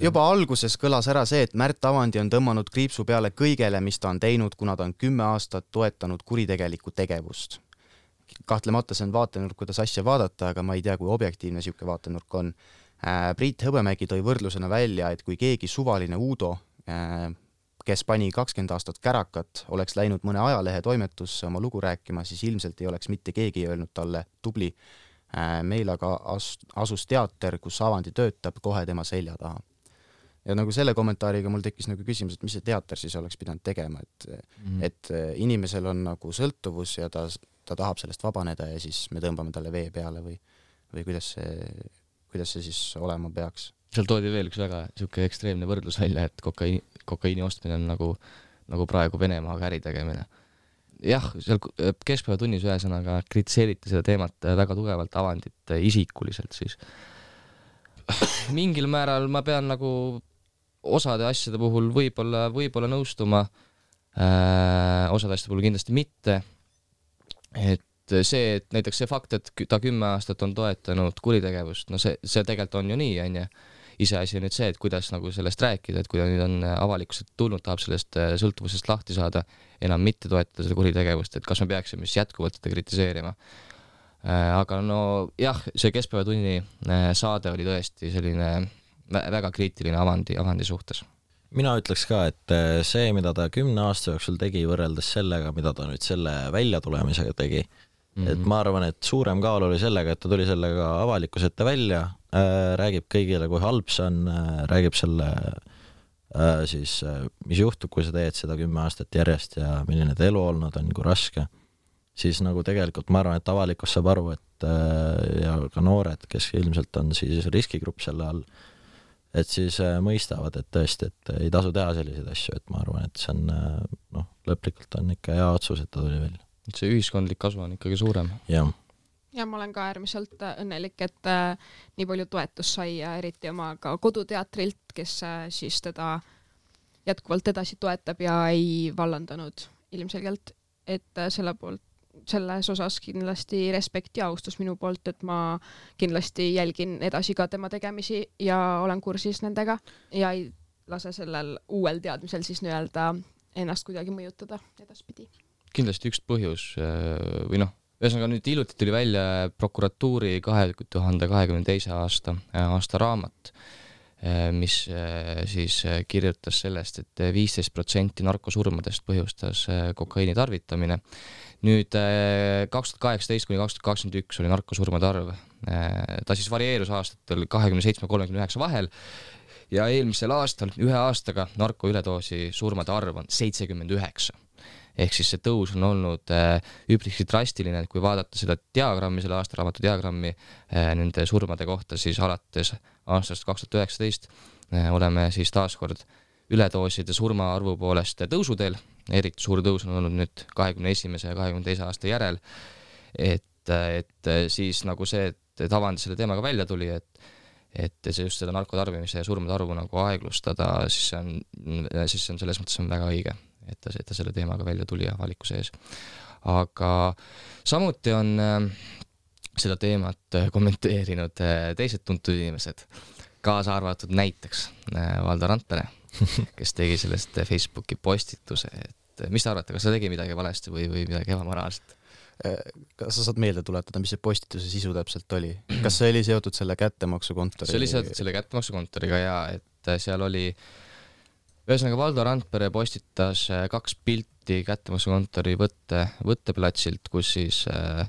Juba alguses kõlas ära see, et Märt Avandi on tõmmanud kriipsu peale kõigele, mis ta on teinud, kuna ta on kümme aastat toetanud kuritegelikku tegevust. Kahtlemata see on vaatenurk, kuidas asja vaadata, aga ma ei tea, kui objektiivne siuke vaatenurk on. Priit Hõbemägi tõi võrdlusena välja, et kui keegi suvaline Uudo, kes pani kakskümmend aastat kärakat, oleks läinud mõne ajalehe toimetusse oma lugu rääkima, siis ilmselt ei oleks mitte keegi öelnud talle tubli. Meil aga asus teater, kus Avandi töötab kohe tema selja taha. Ja nagu selle kommentaariga mul tekkis nagu küsimus, et mis see teater siis oleks pidanud tegema, et, mm. et inimesel on nagu sõltuvus ja ta, ta tahab sellest vabaneda ja siis me tõmbame talle vee peale või, või kuidas see, kuidas see siis olema peaks. Seal toodi veel üks väga siuke ekstreemne võrdlus välja, et kokaiini, kokaiini ostmine on nagu, nagu praegu Venemaaga äri tegemine. Jah, seal Keskpäevatunnis ühesõnaga kritiseeriti seda teemat väga tugevalt Avandit isikuliselt siis. Mingil määral ma pean nagu osade asjade puhul võib-olla, võib-olla nõustuma, äh, osade asjade puhul kindlasti mitte, et see, et näiteks see fakt, et ta kümme aastat on toetanud kuritegevust, no see, see tegelikult on ju nii, on ju. Iseasi on nüüd see, et kuidas nagu sellest rääkida, et kui ta nüüd on avalikkuselt tulnud, tahab sellest sõltuvusest lahti saada, enam mitte toetada seda kuritegevust, et kas me peaksime siis jätkuvalt seda kritiseerima. Aga no jah, see Keskpäevatunni saade oli tõesti selline väga kriitiline avandi, avandi suhtes. Mina ütleks ka, et see, mida ta kümne aasta jooksul tegi võrreldes sellega, mida ta nüüd selle väljatulemisega tegi, mm-hmm. et ma arvan, et suurem kaal oli sellega, et ta tuli sellega avalikus ette välja, äh, räägib kõigile, kui halb see on, äh, räägib selle äh, siis, äh, mis juhtub, kui sa teed seda kümme aastat järjest ja milline ta elu olnud on, kui raske, siis nagu tegelikult ma arvan, et avalikkus saab aru, et äh, ja ka noored, kes ilmselt on siis riskigrupp selle all, et siis mõistavad, et tõesti, et ei tasu teha selliseid asju, et ma arvan, et see on, noh, lõplikult on ikka hea otsus, et ta tuli välja. See ühiskondlik kasu on ikkagi suurem. Ja. ja ma olen ka äärmiselt õnnelik, et äh, nii palju toetus sai ja eriti oma ka koduteatrilt, kes äh, siis teda jätkuvalt edasi toetab ja ei vallandanud ilmselgelt, et äh, selle poolt selles osas kindlasti respekt ja austus minu poolt, et ma kindlasti jälgin edasi ka tema tegemisi ja olen kursis nendega ja ei lase sellel uuel teadmisel siis nii-öelda ennast kuidagi mõjutada edaspidi. Kindlasti üks põhjus või noh, ühesõnaga nüüd hiljuti tuli välja prokuratuuri kahe tuhande kahekümne teise aasta, aasta raamat, mis siis kirjutas sellest, et viisteist protsenti narkosurmadest põhjustas kokaiini tarvitamine. Nüüd kaks tuhat kaheksateist kuni kaks tuhat kakskümmend üks oli narkosurmade arv. Ta siis varieerus aastatel kakskümmend seitse kolmkümmend üheksa vahel ja eelmisel aastal ühe aastaga narkoüledoosi surmade arv on seitsekümmend üheksa. Ehk siis see tõus on olnud üpriski drastiline, et kui vaadata seda diagrammi, selle aastaraamatu diagrammi nende surmade kohta, siis alates aastast kaks tuhat üheksateist oleme siis taaskord üledooside surma arvu poolest tõusuteel, eriti suur tõus on olnud nüüd kahekümne esimese ja kahekümne teise aasta järel, et et, et siis nagu see, et, et Avandi selle teemaga välja tuli, et et see just seda narkotarbimise ja surmade arvu nagu aeglustada, siis see on, siis see on selles mõttes on väga õige, et ta, et ta selle teemaga välja tuli avalikkuse ees. Aga samuti on seda teemat kommenteerinud teised tuntud inimesed, kaasa arvatud näiteks Valdo Randpere, kes tegi sellest Facebooki postituse, et mis te arvate, kas ta tegi midagi valesti või, või midagi ebamoraalset? Kas sa saad meelde tuletada, mis see postituse sisu täpselt oli? Kas see oli seotud selle kättemaksukontori? See oli seotud selle kättemaksukontoriga ja et seal oli ühesõnaga Valdo Randpere postitas kaks pilti kättemaksukontori võtte, võtteplatsilt, kus siis äh,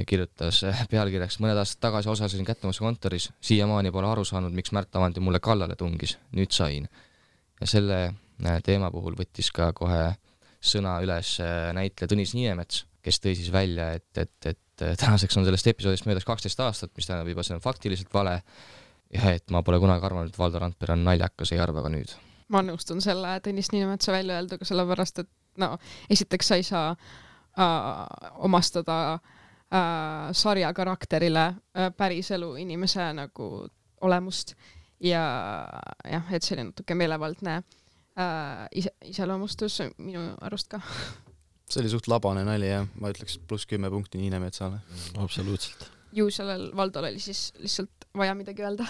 kirjutas pealkirjaks mõned aastad tagasi osasin kättemaksukontoris, siiamaani pole aru saanud, miks Märt Avandi mulle kallale tungis, nüüd sain. Ja selle teema puhul võttis ka kohe sõna üles näitleja Tõnis Niinemets, kes tõi siis välja, et, et, et tänaseks on sellest episoodist möödas kaksteist aastat, mis tähendab juba see on faktiliselt vale ja et ma pole kunagi arvanud, et Valdo Randpere on naljakas, ei arva ka nüüd. Ma nõustun selle Tõnis Niinemetsa välja öelduga, sellepärast, et no, esiteks sa ei saa äh, omastada äh, sarja karakterile äh, päriselu inimese nagu olemust ja jah, et see oli natuke meelevaldne äh, ise, iseloomustus minu arust ka. See oli suht labane nali ja ma ütleks pluss kümme punkti Niinemetsale. Absoluutselt. Ju sellel Valdol oli siis lihtsalt vaja midagi öelda.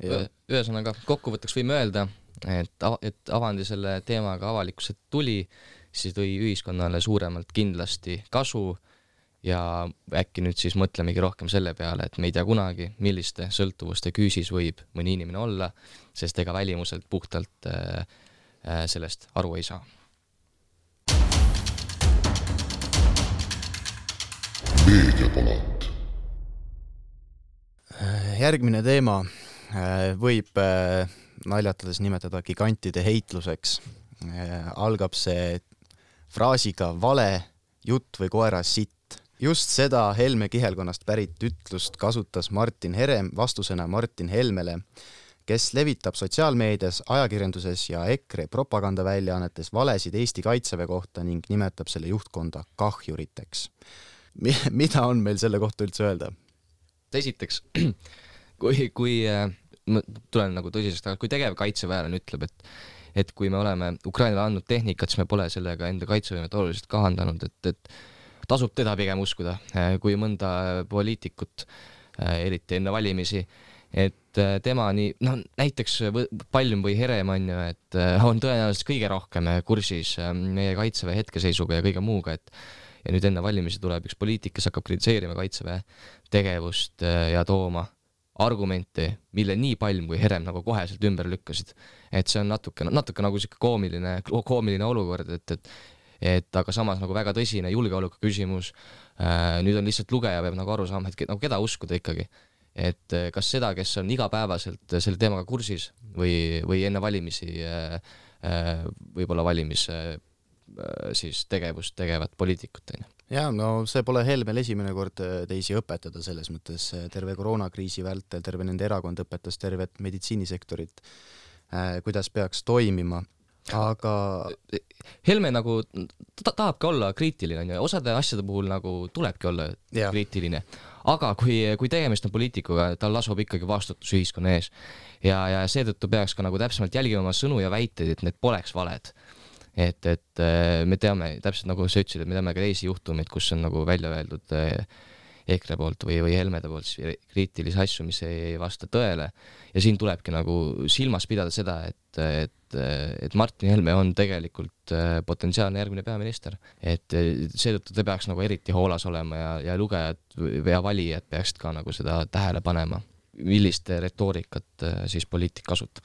Ühesõnaga, kokkuvõtteks võime öelda, et, et Avandi selle teemaga avalikkuselt tuli, siis tõi ühiskonnale suuremalt kindlasti kasu ja äkki nüüd siis mõtlemegi rohkem selle peale, et me ei tea kunagi, milliste sõltuvuste küüsis võib mõni inimene olla, sest ega välimuselt puhtalt äh, sellest aru ei saa. Meediapalat. Järgmine teema võib naljatades nimetada gigantide heitluseks. Algab see fraasiga vale, jutt või koera sitt. Just seda Helme kihelkonnast pärit ütlust kasutas Martin Herem vastusena Martin Helmele, kes levitab sotsiaalmeedias, ajakirjanduses ja EKRE propagandaväljaannetes valesid Eesti Kaitseväe kohta ning nimetab selle juhtkonda kahjuriteks. Mida on meil selle kohta üldse öelda? Esiteks, kui, kui ma tulen nagu tõsisest, kui tegev kaitseväelane ütleb, et, et kui me oleme Ukrainale andnud tehnikat, siis me pole sellega enda kaitsevõimet oluliselt kahandanud, et, et tasub teda pigem uskuda, kui mõnda poliitikut, eriti enne valimisi, et tema nii, no näiteks Palm või Herem on ju, et on tõenäoliselt kõige rohkem kursis meie kaitseväe hetkeseisuga ja kõige muuga, et ja nüüd enne valimisi tuleb üks poliitik, kes hakkab kritiseerima kaitseväe tegevust ja tooma argumente, mille nii Palm kui Herem nagu koheselt ümber lükkasid. Et see on natuke, natuke nagu siuke koomiline, koomiline olukord, et, et, et aga samas nagu väga tõsine julgeoleku küsimus. Nüüd on lihtsalt lugeja peab nagu aru saama, et nagu keda uskuda ikkagi. Et kas seda, kes on igapäevaselt selle teemaga kursis või, või enne valimisi võib-olla valimis siis tegevust tegevat poliitikut. Ja, no see pole Helmel esimene kord teisi õpetada selles mõttes. Terve koroonakriisi vältel, terve nende erakond õpetas tervet meditsiinisektorit, kuidas peaks toimima. Aga Helme nagu ta tahabki olla kriitiline ja osade asjade puhul nagu tulebki olla ja. kriitiline. Aga kui, kui tegemist on poliitikuga, tal lasub ikkagi vastutus ühiskonna ees. Ja, ja seetõttu peaks ka nagu täpsemalt jälgima oma sõnu ja väiteid, et need poleks valed. Et, et me teame, täpselt nagu sa ütlesid, et me teame ka teisi juhtumeid, kus on nagu välja öeldud EKRE poolt või, või Helmede poolt kriitilisi asju, mis ei vasta tõele. Ja siin tulebki nagu silmas pidada seda, et, et, et Martin Helme on tegelikult potentsiaalne järgmine peaminister. Et seetõttu te peaks nagu eriti hoolas olema ja, ja lugejad ja valijad peaksid ka nagu seda tähele panema, millist retoorikat siis poliitik kasutab.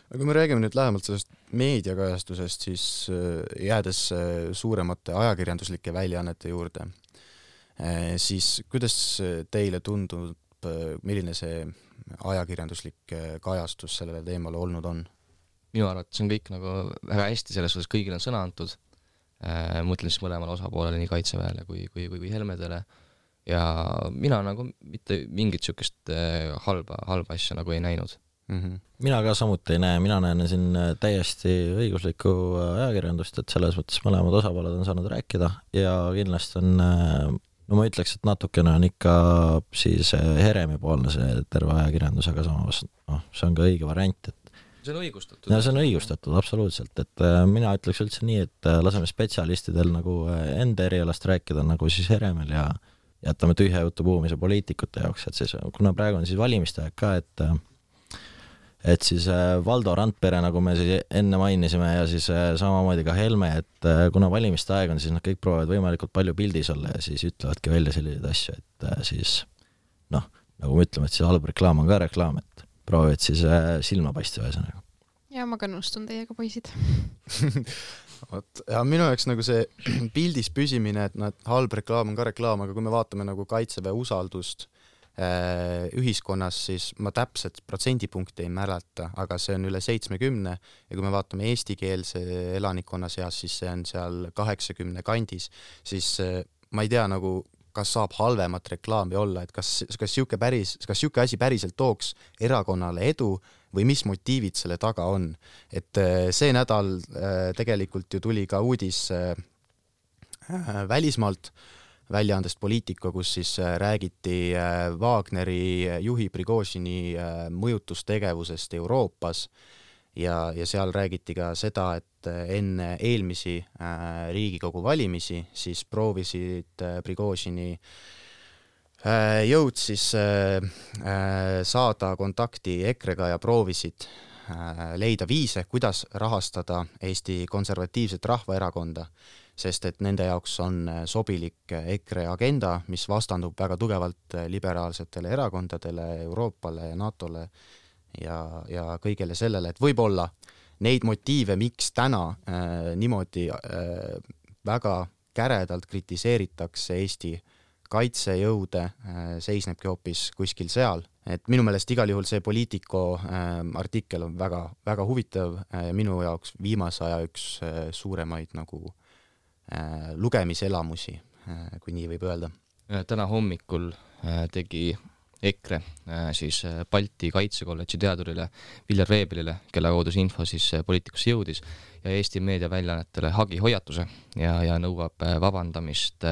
Aga kui me räägime nüüd lähemalt sellest meediakajastusest, siis jäädes suuremate ajakirjanduslike väljaannete juurde, siis kuidas teile tundub, milline see ajakirjanduslik kajastus sellele teemale olnud on? Minu arvates on kõik nagu väga hästi selles suhtes, kõigil on sõna antud. Mõtlen siis mõlemale osapoolele, nii kaitseväele kui, kui, kui Helmedele. Ja mina nagu mitte mingit sükest halba, halba asja nagu ei näinud. Mm-hmm. Mina ka samuti ei näe, mina näen siin täiesti õiguslikku ajakirjandust, et selles mõttes mõlemad osapooled on saanud rääkida ja kindlasti on no ma ütleks, et natukene on ikka siis Heremi poolne see terve ajakirjandus, aga samas noh, see on ka õige variant, et see on õigustatud. Ja see on õigustatud, absoluutselt, et mina ütleks üldse nii, et laseme spetsialistidel nagu enda erialast rääkida nagu siis Heremil ja jätame tühja jutu puhumise poliitikute jaoks, et siis, kuna praegu on siis valimiste aeg ka, et et siis Valdo Randpere, nagu me siis enne mainisime ja siis samamoodi ka Helme, et kuna valimiste aeg on, siis nad kõik proovivad võimalikult palju pildis olla ja siis ütlevadki välja selliseid asju, et siis noh, nagu me ütleme, et siis halb reklaam on ka reklaam, et proovivad siis silma paista ühesõnaga. Ja ma ka nõustun teiega, poisid. Ot, ja minu jaoks nagu see pildis püsimine, et noh, halb reklaam on ka reklaam, aga kui me vaatame nagu Kaitseväe usaldust äh, ühiskonnas, siis ma täpselt protsendipunkti ei mäleta, aga see on üle seitsmekümne ja kui me vaatame eestikeelse elanikkonna seas, siis see on seal kaheksakümne kandis, siis äh, ma ei tea nagu kas saab halvemat reklaami olla, et kas, kas siuke päris, kas siuke asi päriselt tooks erakonnale edu või mis motiivid selle taga on. Et see nädal tegelikult ju tuli ka uudis välismaalt väljaandest Poliitika, kus siis räägiti Wagneri juhi Prigožini mõjutustegevusest Euroopas ja, ja seal räägiti ka seda, et enne eelmisi äh, Riigikogu valimisi siis proovisid äh, Prigožini äh, jõud siis äh, äh, saada kontakti Ekrega ja proovisid äh, leida viise, kuidas rahastada Eesti Konservatiivset Rahvaerakonda, sest et nende jaoks on sobilik Ekre agenda, mis vastandub väga tugevalt liberaalsetele erakondadele, Euroopale ja NATOle ja, ja kõigele sellele, et võib-olla neid motiive, miks täna äh, niimoodi äh, väga käredalt kritiseeritakse Eesti kaitsejõude, äh, seisnebki hoopis kuskil seal. Et minu meelest igal juhul see Poliitico äh, artikkel on väga, väga huvitav äh, minu jaoks viimase aja üks äh, suuremaid nagu äh, lugemiselamusi, äh, kui nii võib öelda. Täna hommikul äh, tegi Ekre siis Balti Kaitsekolledži teadurile Viljar Veebelile, kelle kaudu see info siis Poliitikusse jõudis ja Eesti meediaväljaannetele hagi hoiatuse ja, ja nõuab vabandamist.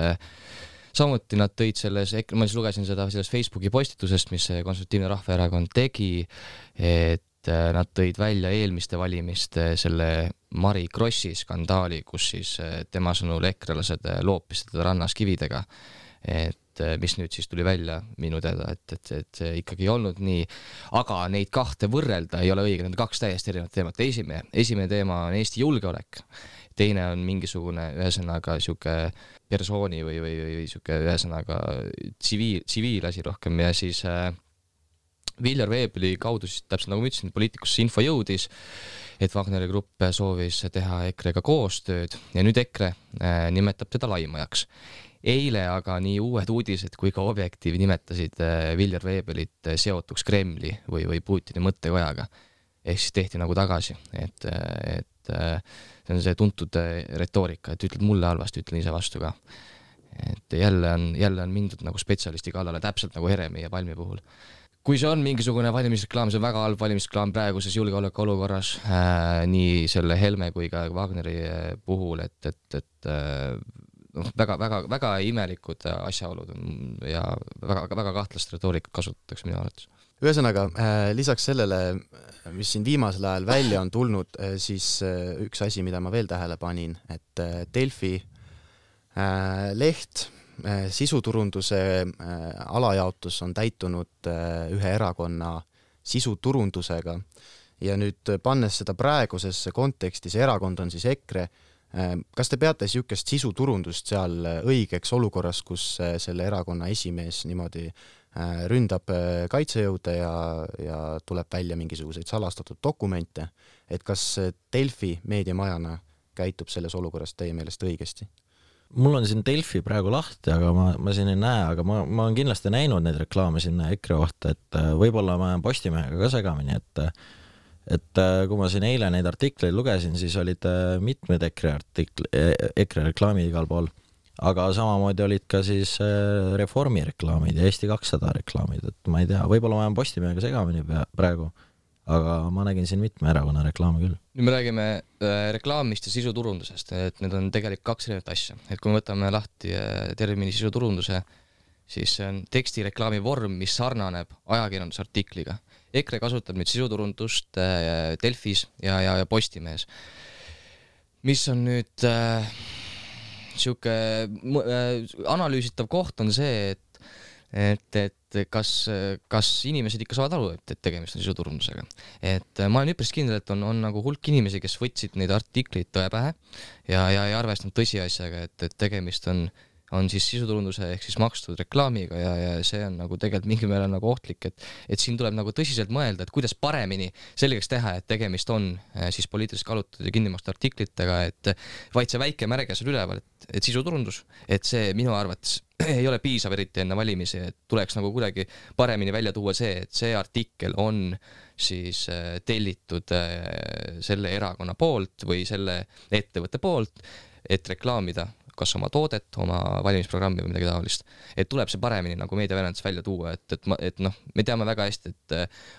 Samuti nad tõid selles, ma siis lugesin seda selles Facebooki postitusest, mis Konservatiivne Rahvaerakond tegi, et nad tõid välja eelmiste valimiste selle Mari Krossi skandaali, kus siis tema sõnul ekrelased loopisid teda rannas kividega, et mis nüüd siis tuli välja minu teada, et, et, et see ikkagi ei olnud nii, aga neid kahte võrrelda ei ole õige, need on kaks täiesti erinevat teemat. Esimene, esimene teema on Eesti julgeolek, teine on mingisugune ühesõnaga siuke persooni või, või, või siuke ühesõnaga tsiviil, tsiviilasi rohkem ja siis äh, Viljar Veebeli kaudu siis täpselt nagu ma ütlesin, Poliitikusse info jõudis, et Wagneri grupp soovis teha Ekrega koostööd ja nüüd Ekre äh, nimetab teda laimajaks. Eile aga nii uued uudised kui ka Objektiiv nimetasid Viljar Veebelit seotuks Kremli või, või Putini mõttekojaga. Ehk siis tehti nagu tagasi, et, et see on see tuntud retoorika, et ütled mulle halvasti, ütlen ise vastu ka. Et jälle on, jälle on mindud nagu spetsialisti kallale, täpselt nagu Heremi ja Palmi puhul. Kui see on mingisugune valimisreklaam, see on väga halb valimisreklaam praeguses julgeoleku olukorras, äh, nii selle Helme kui ka Wagneri puhul, et, et, et äh, noh, väga, väga, väga imelikud asjaolud ja väga, väga kahtlast retoorikat kasutatakse minu arvates. Ühesõnaga, lisaks sellele, mis siin viimasel ajal välja on tulnud, siis üks asi, mida ma veel tähele panin, et Delfi leht, sisuturunduse alajaotus on täitunud ühe erakonna sisuturundusega ja nüüd pannes seda praegusesse konteksti, see erakond on siis Ekre. Kas te peate siukest sisuturundust seal õigeks olukorras, kus selle erakonna esimees niimoodi ründab kaitsejõude ja, ja tuleb välja mingisuguseid salastatud dokumente, et kas Delfi meediamajana käitub selles olukorras teie meelest õigesti? Mul on siin Delfi praegu lahti, aga ma, ma siin ei näe, aga ma, ma olen kindlasti näinud neid reklaame sinna Ekre kohta, et võib-olla ma olen Postimehega ka segamini, et et kui ma siin eile neid artikleid lugesin, siis olid mitmed Ekre artikli, Ekre reklaamid igal pool, aga samamoodi olid ka siis Reformi reklaamid ja Eesti kakssada reklaamid, et ma ei tea, võib-olla ma olen Postimehega segamini praegu, aga ma nägin siin mitme erakonna reklaami küll. Nüüd me räägime äh, reklaamist ja sisuturundusest, et need on tegelikult kaks erinevat asja. Et kui me võtame lahti äh, termini sisuturunduse, siis see on tekstireklaami vorm, mis sarnaneb ajakirjandusartikliga. EKRE kasutab nüüd sisuturundust äh, Delfis ja, ja, ja Postimehes. Mis on nüüd äh, siuke äh, analüüsitav koht on see, et et, et kas, kas inimesed ikka saavad aru, et, et tegemist on sisuturundusega. Et ma olen üpris kindel, et on, on nagu hulk inimesi, kes võtsid neid artikleid tõe pähe ja, ja ei arvestanud tõsiasjaga, et, et tegemist on, on siis sisuturunduse ehk siis makstud reklaamiga ja, ja see on nagu tegelikult mingi meele nagu ohtlik, et, et siin tuleb nagu tõsiselt mõelda, et kuidas paremini selgeks teha, et tegemist on siis poliitiliselt kallutatud ja kinnimakstud artiklitega, et vaid see väike märge seal üleval, et, et sisuturundus, et see minu arvates ei ole piisav eriti enne valimisi, et tuleks nagu kuidagi paremini välja tuua see, et see artikkel on siis tellitud selle erakonna poolt või selle ettevõtte poolt, et reklaamida kas oma toodet, oma valimisprogrammi või midagi taolist. Et tuleb see paremini nagu meediaväljanduses välja tuua, et, et, ma, et noh, me teame väga hästi, et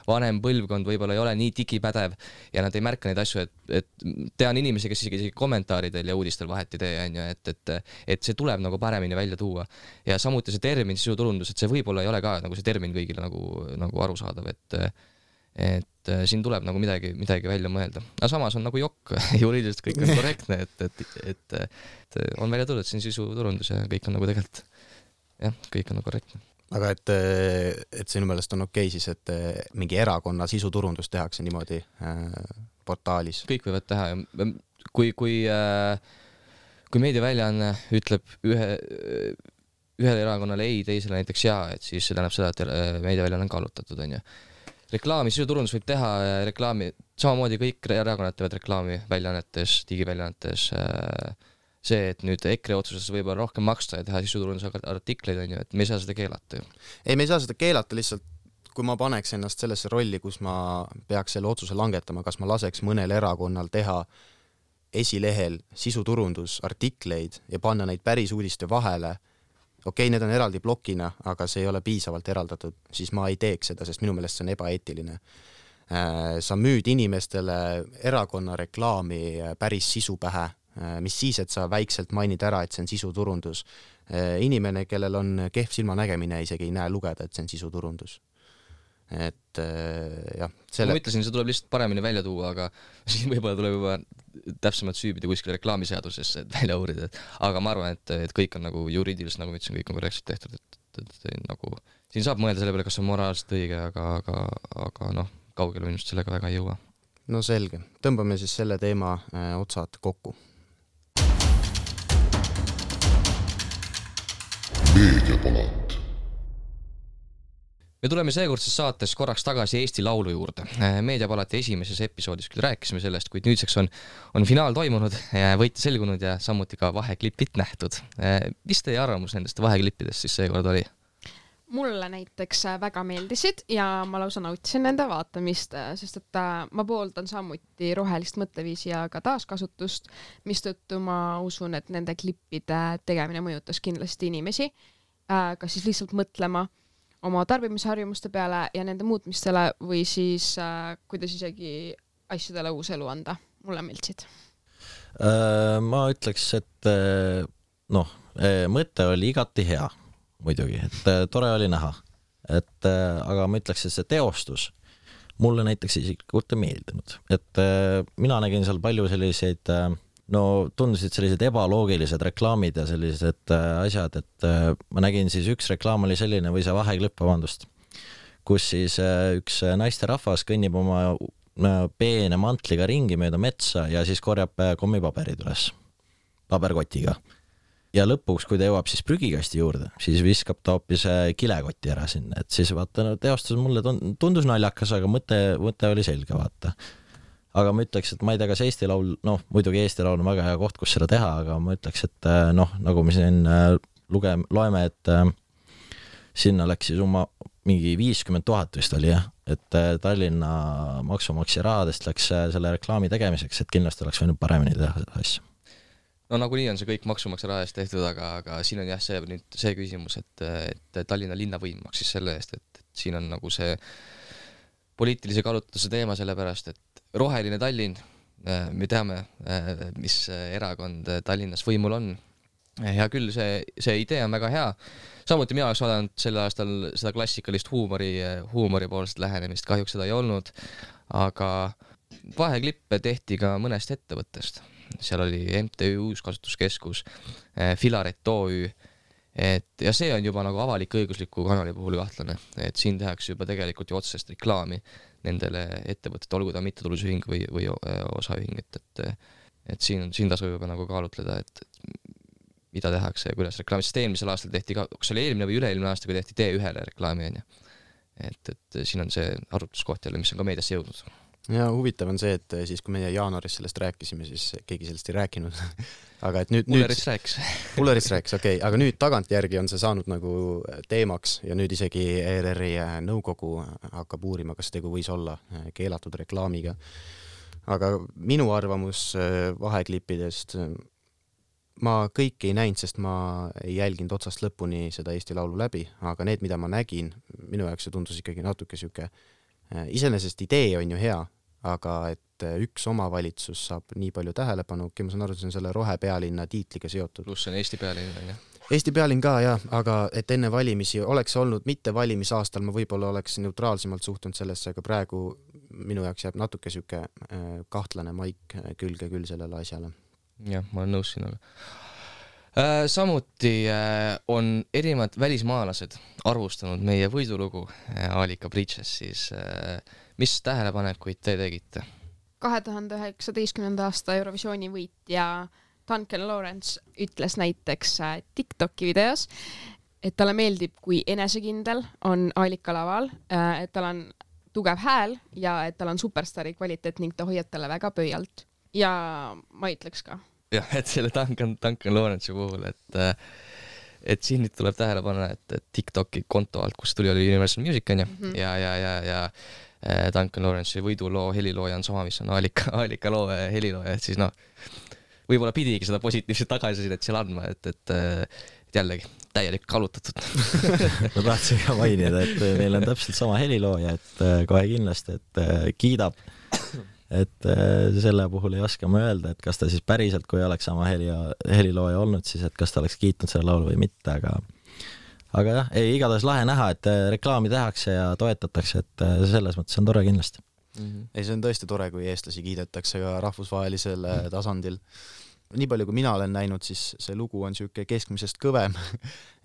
vanem põlvkond võib-olla ei ole nii digipädev ja nad ei märka neid asju, et, et tean inimesi, kes isegi kommentaaridel ja uudistel vahet ei tee, on ju, et, et, et see tuleb nagu paremini välja tuua. Ja samuti see termin sisuturundus, et see võib-olla ei ole ka nagu see termin kõigile nagu, nagu arusaadav, et et siin tuleb nagu midagi, midagi välja mõelda. Aga samas on nagu jokk, juriidiliselt kõik on korrektne, et, et, et, et on välja tulnud siin sisuturundus ja kõik on nagu tegelikult, jah, kõik on nagu korrektne. Aga et, et sinu meelest on okei siis, et mingi erakonna sisuturundus tehakse niimoodi äh, portaalis? Kõik võivad teha ja kui, kui, äh, kui meediaväljaanne ütleb ühe, ühele erakonnale ei, teisele näiteks jaa, et siis see tähendab seda, et meediaväljaanne on kallutatud, on ju. Reklaami, sisuturundus võib teha reklaami, samamoodi kõik erakonnad teevad reklaami väljaannetes, digiväljaannetes. See, et nüüd EKRE otsuses võib-olla rohkem maksta ja teha sisuturunduse artikleid, on ju, et me ei saa seda keelata ju. Ei, me ei saa seda keelata, lihtsalt kui ma paneks ennast sellesse rolli, kus ma peaks selle otsuse langetama, kas ma laseks mõnel erakonnal teha esilehel sisuturundus artikleid ja panna neid päris uudiste vahele, okei, need on eraldi blokina, aga see ei ole piisavalt eraldatud, siis ma ei teeks seda, sest minu meelest see on ebaeetiline. Sa müüd inimestele erakonna reklaami päris sisu pähe, mis siis, et sa väikselt mainid ära, et see on sisuturundus. Inimene, kellel on kehv silmanägemine, isegi ei näe lugeda, et see on sisuturundus. Et jah, selle... Ma ütlesin, see tuleb lihtsalt paremini välja tuua, aga siin võib-olla tuleb juba täpsemalt süübida kuskil reklaamiseadusesse, et välja uurida, et, aga ma arvan, et, et kõik on nagu juriidiliselt, nagu ma ütlesin, kõik on korrektselt tehtud, et, et, et nagu, siin saab mõelda selle peale, kas on moraalselt õige, aga, aga, aga noh, kaugele minust sellega väga ei jõua. No selge, tõmbame siis selle teema äh, otsad kokku. Meediapalat. Me tuleme seekordses saates korraks tagasi Eesti Laulu juurde. Meediapalati esimeses episoodis küll rääkisime sellest, kuid nüüdseks on, on finaal toimunud, võitja selgunud ja samuti ka vaheklipid nähtud. Mis teie arvamus nendest vaheklippidest siis seekord oli? Mulle näiteks väga meeldisid ja ma lausa nautisin nende vaatamist, sest et ma pooldan samuti rohelist mõtteviisi ja ka taaskasutust, mistõttu ma usun, et nende klippide tegemine mõjutas kindlasti inimesi, kas siis lihtsalt mõtlema oma tarbimisharjumuste peale ja nende muutmistele või siis äh, kuidas isegi asjadele uus elu anda. Mulle meeldisid. Ma ütleks, et noh, mõte oli igati hea muidugi, et tore oli näha. Et, aga ma ütleks, et see teostus mulle näiteks isiklikult ei meeldinud. Et mina nägin seal palju selliseid no tundusid sellised ebaloogilised reklaamid ja sellised asjad, et ma nägin siis üks reklaam oli selline või see vaheklipp, vabandust, kus siis üks naisterahvas kõnnib oma peene mantliga ringi mööda metsa ja siis korjab kommipaberid üles paberkotiga. Ja lõpuks, kui ta jõuab siis prügikasti juurde, siis viskab ta hoopis kilekoti ära sinna, et siis vaata, no, teostus mulle tundus naljakas, aga mõte, mõte oli selge, vaata. Aga ma ütleks, et ma ei tea, kas Eesti Laul, noh, muidugi Eesti Laul on väga hea koht, kus seda teha, aga ma ütleks, et noh, nagu me siin luge, loeme, et sinna läks siis oma mingi viiskümmend tuhat vist oli, jah, et Tallinna maksumaksja rahadest läks selle reklaami tegemiseks, et kindlasti oleks võinud paremini teha seda asja. No nagu nii on see kõik maksumaksja raha eest tehtud, aga, aga siin on jah see, nüüd see küsimus, et, et Tallinna linnavõim maksis selle eest, et, et siin on nagu see poliitilise kaalutuse teema sellepärast, et roheline Tallinn, me teame, mis erakond Tallinnas võimul on. Hea küll, see, see idee on väga hea. Samuti mina oleks vaadanud sel aastal seda klassikalist huumori, huumori poolset lähenemist, kahjuks seda ei olnud, aga vaheklippe tehti ka mõnest ettevõttest. Seal oli M T Ü Uuskasutuskeskus, Filaret O Ü, et, ja see on juba nagu avalik õigusliku kanali puhul kahtlane, et siin tehakse juba tegelikult ju otsest reklaami nendele ettevõtete, olgu ta mittetulundusühing või, või osaühing, et, et, et siin, siin tasub juba nagu kaalutleda, et mida tehakse ja kuidas reklaami, sest eelmisel aastal tehti ka, kas oli eelmine või üle-eelmine aasta, kui tehti T ühele reklaami, on ju. Et, et siin on see arvutuskoht jälle, mis on ka meediasse jõudnud. Ja huvitav on see, et siis kui meie jaanuaris sellest rääkisime, siis keegi sellest ei rääkinud. aga et nüüd... Pullerist nüüd... rääkis. Pullerist rääkis, okei. Okay. Aga nüüd tagantjärgi on see saanud nagu teemaks ja nüüd isegi E R R-i nõukogu hakkab uurima, kas tegu võis olla keelatud reklaamiga. Aga minu arvamus vaheklippidest, ma kõik ei näinud, sest ma ei jälginud otsast lõpuni seda Eesti Laulu läbi, aga need, mida ma nägin, minu jaoks see tundus ikkagi natuke süke. Iseenesest idee on ju hea, aga et üks omavalitsus saab nii palju tähelepanu, ma saan aru, see on selle rohepealinna tiitliga seotud. Pluss on Eesti pealinn, jah. Eesti pealinn ka, jah, aga et enne valimisi oleks olnud mitte valimisaastal, ma võib-olla oleks neutraalsemalt suhtunud sellesse, aga praegu minu jaoks jääb natuke süke kahtlane maik külge küll sellele asjale. Jah, ma olen nõus sinuga. Äh, samuti äh, on erinevad välismaalased arvustanud meie võidulugu äh, Alika Bridges, siis äh, mis tähelepanekuid te tegite? kahe tuhande üheksateistkümnenda aasta Eurovisiooni võitja Duncan Lawrence ütles näiteks äh, TikToki videos, et talle meeldib, kui enesekindel on Alika laval, äh, et tal on tugev hääl ja et tal on superstari kvaliteet ning ta hoiab talle väga pöialt. Ja ma ütleks ka. Jah, et selle Duncan, Duncan Lawrence'i puhul, et, et siin nüüd tuleb tähele panna, et, et TikToki konto alt, kus tuli oli Universal Music, on ju, mm -hmm. ja, ja, ja, ja Duncan Lawrence'i võiduloo helilooja on sama, mis on Alika, Alika loo helilooja, et siis noh, võib-olla pidigi seda positiivset tagasisidet seal andma, et, et, et jällegi täielik kallutatud. ma tahtsin ka mainida, et neil on täpselt sama helilooja, et kohe kindlasti, et kiidab. Et selle puhul ei oska ma öelda, et kas ta siis päriselt, kui oleks sama heli, helilooja olnud, siis et kas ta oleks kiitnud selle laulu või mitte, aga aga jah, ei, igatahes lahe näha, et reklaami tehakse ja toetatakse, et selles mõttes on tore kindlasti. Mm-hmm. Ei, see on tõesti tore, kui eestlasi kiidetakse ka rahvusvahelisel mm-hmm. tasandil. Nii palju, kui mina olen näinud, siis see lugu on siuke keskmisest kõvem,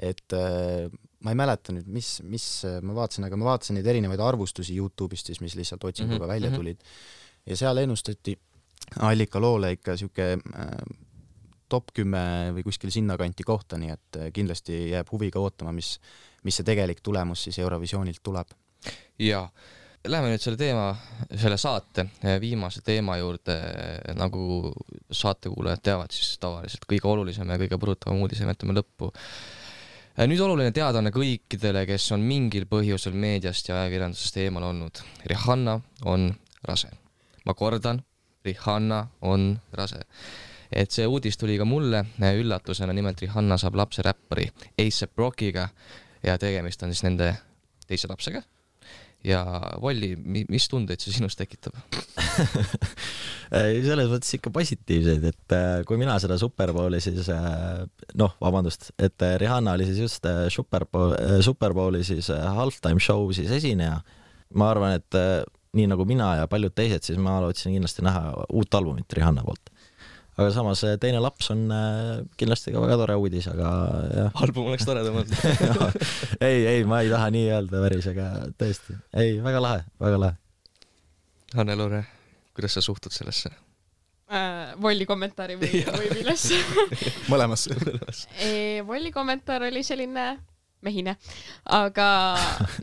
et ma ei mäleta nüüd, mis, mis ma vaatasin, aga ma vaatasin neid erinevaid arvustusi YouTube'ist, siis, mis lihtsalt otsinguga mm-hmm. välja tulid. Ja seal ennustati Alika loole ikka siuke äh, top kümme või kuskil sinna kanti kohta, nii et kindlasti jääb huviga ootama, mis, mis see tegelik tulemus siis Eurovisioonilt tuleb. Ja, läheme nüüd selle teema, selle saate viimase teema juurde, nagu saatekuulajad teavad, siis tavaliselt kõige olulisem ja kõige põrutavam uudise jätame lõppu. Nüüd oluline teadaanne kõikidele, kes on mingil põhjusel meediast ja ajakirjandusest eemal olnud. Rihanna on rase. Ma kordan, Rihanna on rase. Et see uudis tuli ka mulle üllatusena, nimelt Rihanna saab lapse räppari A$AP Rockiga ja tegemist on siis nende teise lapsega. Ja Volli, mis tundeid see sinust tekitab? Selles mõttes ikka positiivseid, et kui mina seda Superbowli siis, noh, vabandust, et Rihanna oli siis just Superbowli siis halftime show siis esineja. Ma arvan, et nii nagu mina ja paljud teised, siis ma lootsin kindlasti näha uut albumit Rihanna poolt. Aga samas teine laps on kindlasti ka väga tore uudis, aga jah. Album oleks toredam olnud. ei, ei, ma ei taha nii öelda päris, aga tõesti. Ei, väga lahe, väga lahe. Hanne-Loore, kuidas sa suhtud sellesse? Äh, Volli kommentaari või, või millesse? Mõlemas. e, Volli kommentaar oli selline mehine, aga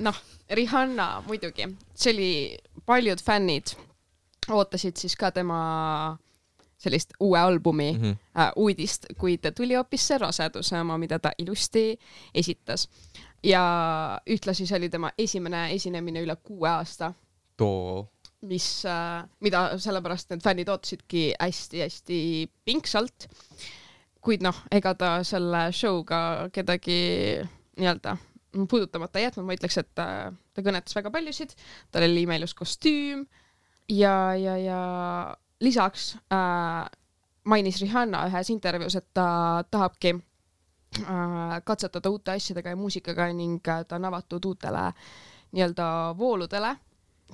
noh, Rihanna muidugi, see oli paljud fännid ootasid siis ka tema sellist uue albumi mm -hmm. äh, uudist, kuid tuli hoopis see raseduse oma, mida ta ilusti esitas. Ja ühtlasi see oli tema esimene esinemine üle kuue aasta. Too. Mis, äh, mida sellepärast need fännid ootasidki hästi-hästi pingsalt. Kuid noh, ega ta selle showga kedagi nii-öelda puudutamata jätnud, ma ütleks, et ta, ta kõnetas väga paljusid, tal oli imelus kostüüm ja, ja, ja lisaks äh, mainis Rihanna ühes intervjuus, et ta tahabki äh, katsetada uute asjadega ja muusikaga ning ta on avatud uutele nii-öelda vooludele,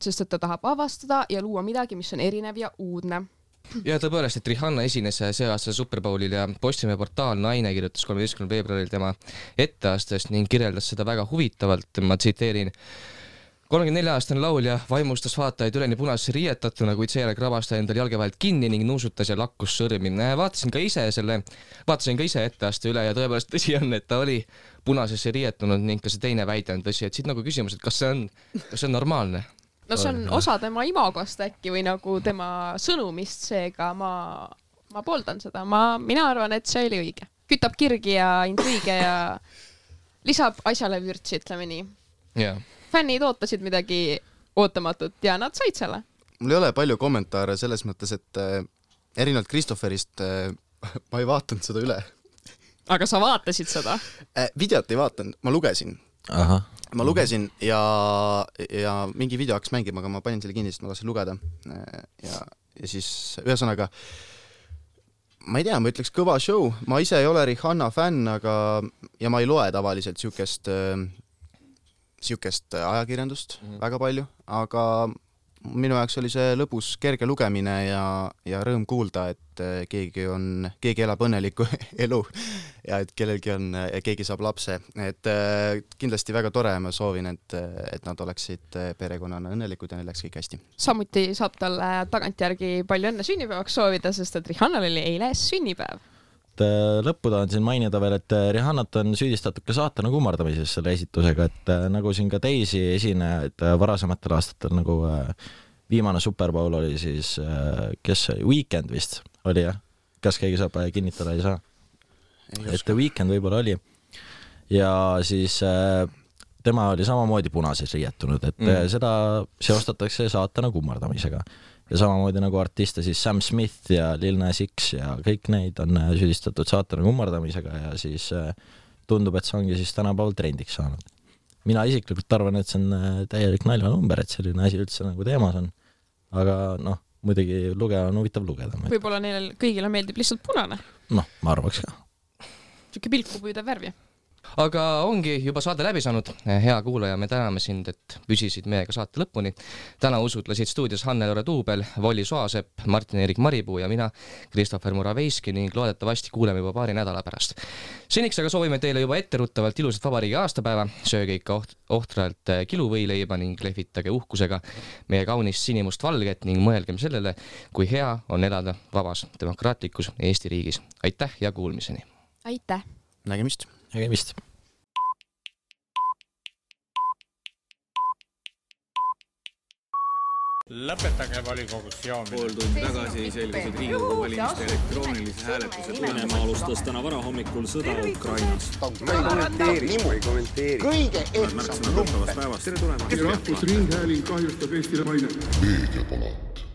sest et ta tahab avastada ja luua midagi, mis on erinev ja uudne. Ja tõepoolest, et Rihanna esines see aasta Super Bowlil ja Postimehe portaal Naine kirjutas kolmeteistkümnendal veebruaril tema etteastest ning kirjeldas seda väga huvitavalt. Ma tsiteerin: kolmekümne nelja aastane laulja vaimustas vaatajaid üleni punasesse riietatuna, kuid seejärel krabas ta endal jalge vahelt kinni ning nuusutas ja lakkus sõrmi. Vaatasin ka ise selle, vaatasin ka ise etteaste üle ja tõepoolest tõsi on, et ta oli punasesse riietunud ning ka see teine väide on tõsi, et siit nagu küsimus, et kas see on, kas see on normaalne? No see on osa tema imagost äkki või nagu tema sõnumist, seega ma, ma pooldan seda. Ma, mina arvan, et see oli õige. Kütab kirgi ja intriige ja lisab asjale vürtsi, ütleme nii. Yeah. Fännid ootasid midagi ootamatut ja nad said selle. Mul ei ole palju kommentaare selles mõttes, et äh, erinevalt Christopherist äh, ma ei vaatanud seda üle. Aga sa vaatasid seda? Äh, videot ei vaatanud, ma lugesin. Aha. Ma lugesin ja, ja mingi video hakkas mängima, aga ma panin selle kinni, sest ma tahtsin lugeda. Ja, ja siis ühesõnaga, ma ei tea, ma ütleks kõva show. Ma ise ei ole Rihanna fänn, aga, ja ma ei loe tavaliselt siukest, siukest ajakirjandust mm-hmm. väga palju, aga minu jaoks oli see lõbus kerge lugemine ja, ja rõõm kuulda, et keegi on, keegi elab õnnelikku elu ja et kellelgi on, keegi saab lapse. Et kindlasti väga tore, ma soovin, et, et nad oleksid perekonnana õnnelikud ja neil läks kõik hästi. Samuti saab talle tagantjärgi palju õnne sünnipäevaks soovida, sest et Rihannal oli eile sünnipäev. Lõppu tahan siin mainida veel, et Rihannat on süüdistatud ka saatana kummardamises selle esitusega, et nagu siin ka teisi esinejaid varasematel aastatel, nagu viimane Super Bowl oli siis, kes Weekend vist oli, jah? Kas keegi saab kinnitada, ei saa? Ei et Weekend võib-olla oli. Ja siis tema oli samamoodi punases riietunud, et mm. seda seostatakse saatana kummardamisega. Ja samamoodi nagu artiste siis Sam Smith ja Lil Nas X ja kõik neid on süüdistatud saatana kummardamisega ja siis tundub, et see ongi siis tänapäeval trendiks saanud. Mina isiklikult arvan, et see on täielik naljanumber, et selline asi üldse nagu teemas on. Aga noh, muidugi lugeda on huvitav lugeda. Võib-olla neil kõigile meeldib lihtsalt punane. Noh, ma arvaks ka. Siuke pilku püüda värvi. Aga ongi juba saade läbi saanud. Hea kuulaja, me täname sind, et püsisid meiega saate lõpuni. Täna usutlesid stuudios Hannel-Ore Tuubel, Volli Soasepp, Martin-Erik Maripuu ja mina, Christopher Muraveiski ning loodetavasti kuuleme juba paari nädala pärast. Seniks aga soovime teile juba etteruttavalt ilusat vabariigi aastapäeva, sööge ikka oht- ohtralt kiluvõileiba ning lehvitage uhkusega meie kaunist sinimust valget ning mõelgem sellele, kui hea on elada vabas demokraatlikus Eesti riigis. Aitäh ja kuulmiseni! Aitäh! Nägemist! Nägemist! Lõpetage volikogus joomine. Pool tundi tagasi selgusid Riigikogu valimiste elektroonilise hääletuse Venemaa alustas täna varahommikul sõda Ukrainas. Ma ei kommenteeri, ma ei kommenteeri. Kõige ehtsam number. päevast. Tere tulemast! Rahvusringhääling kahjustab Eestile maine. Meediapalat.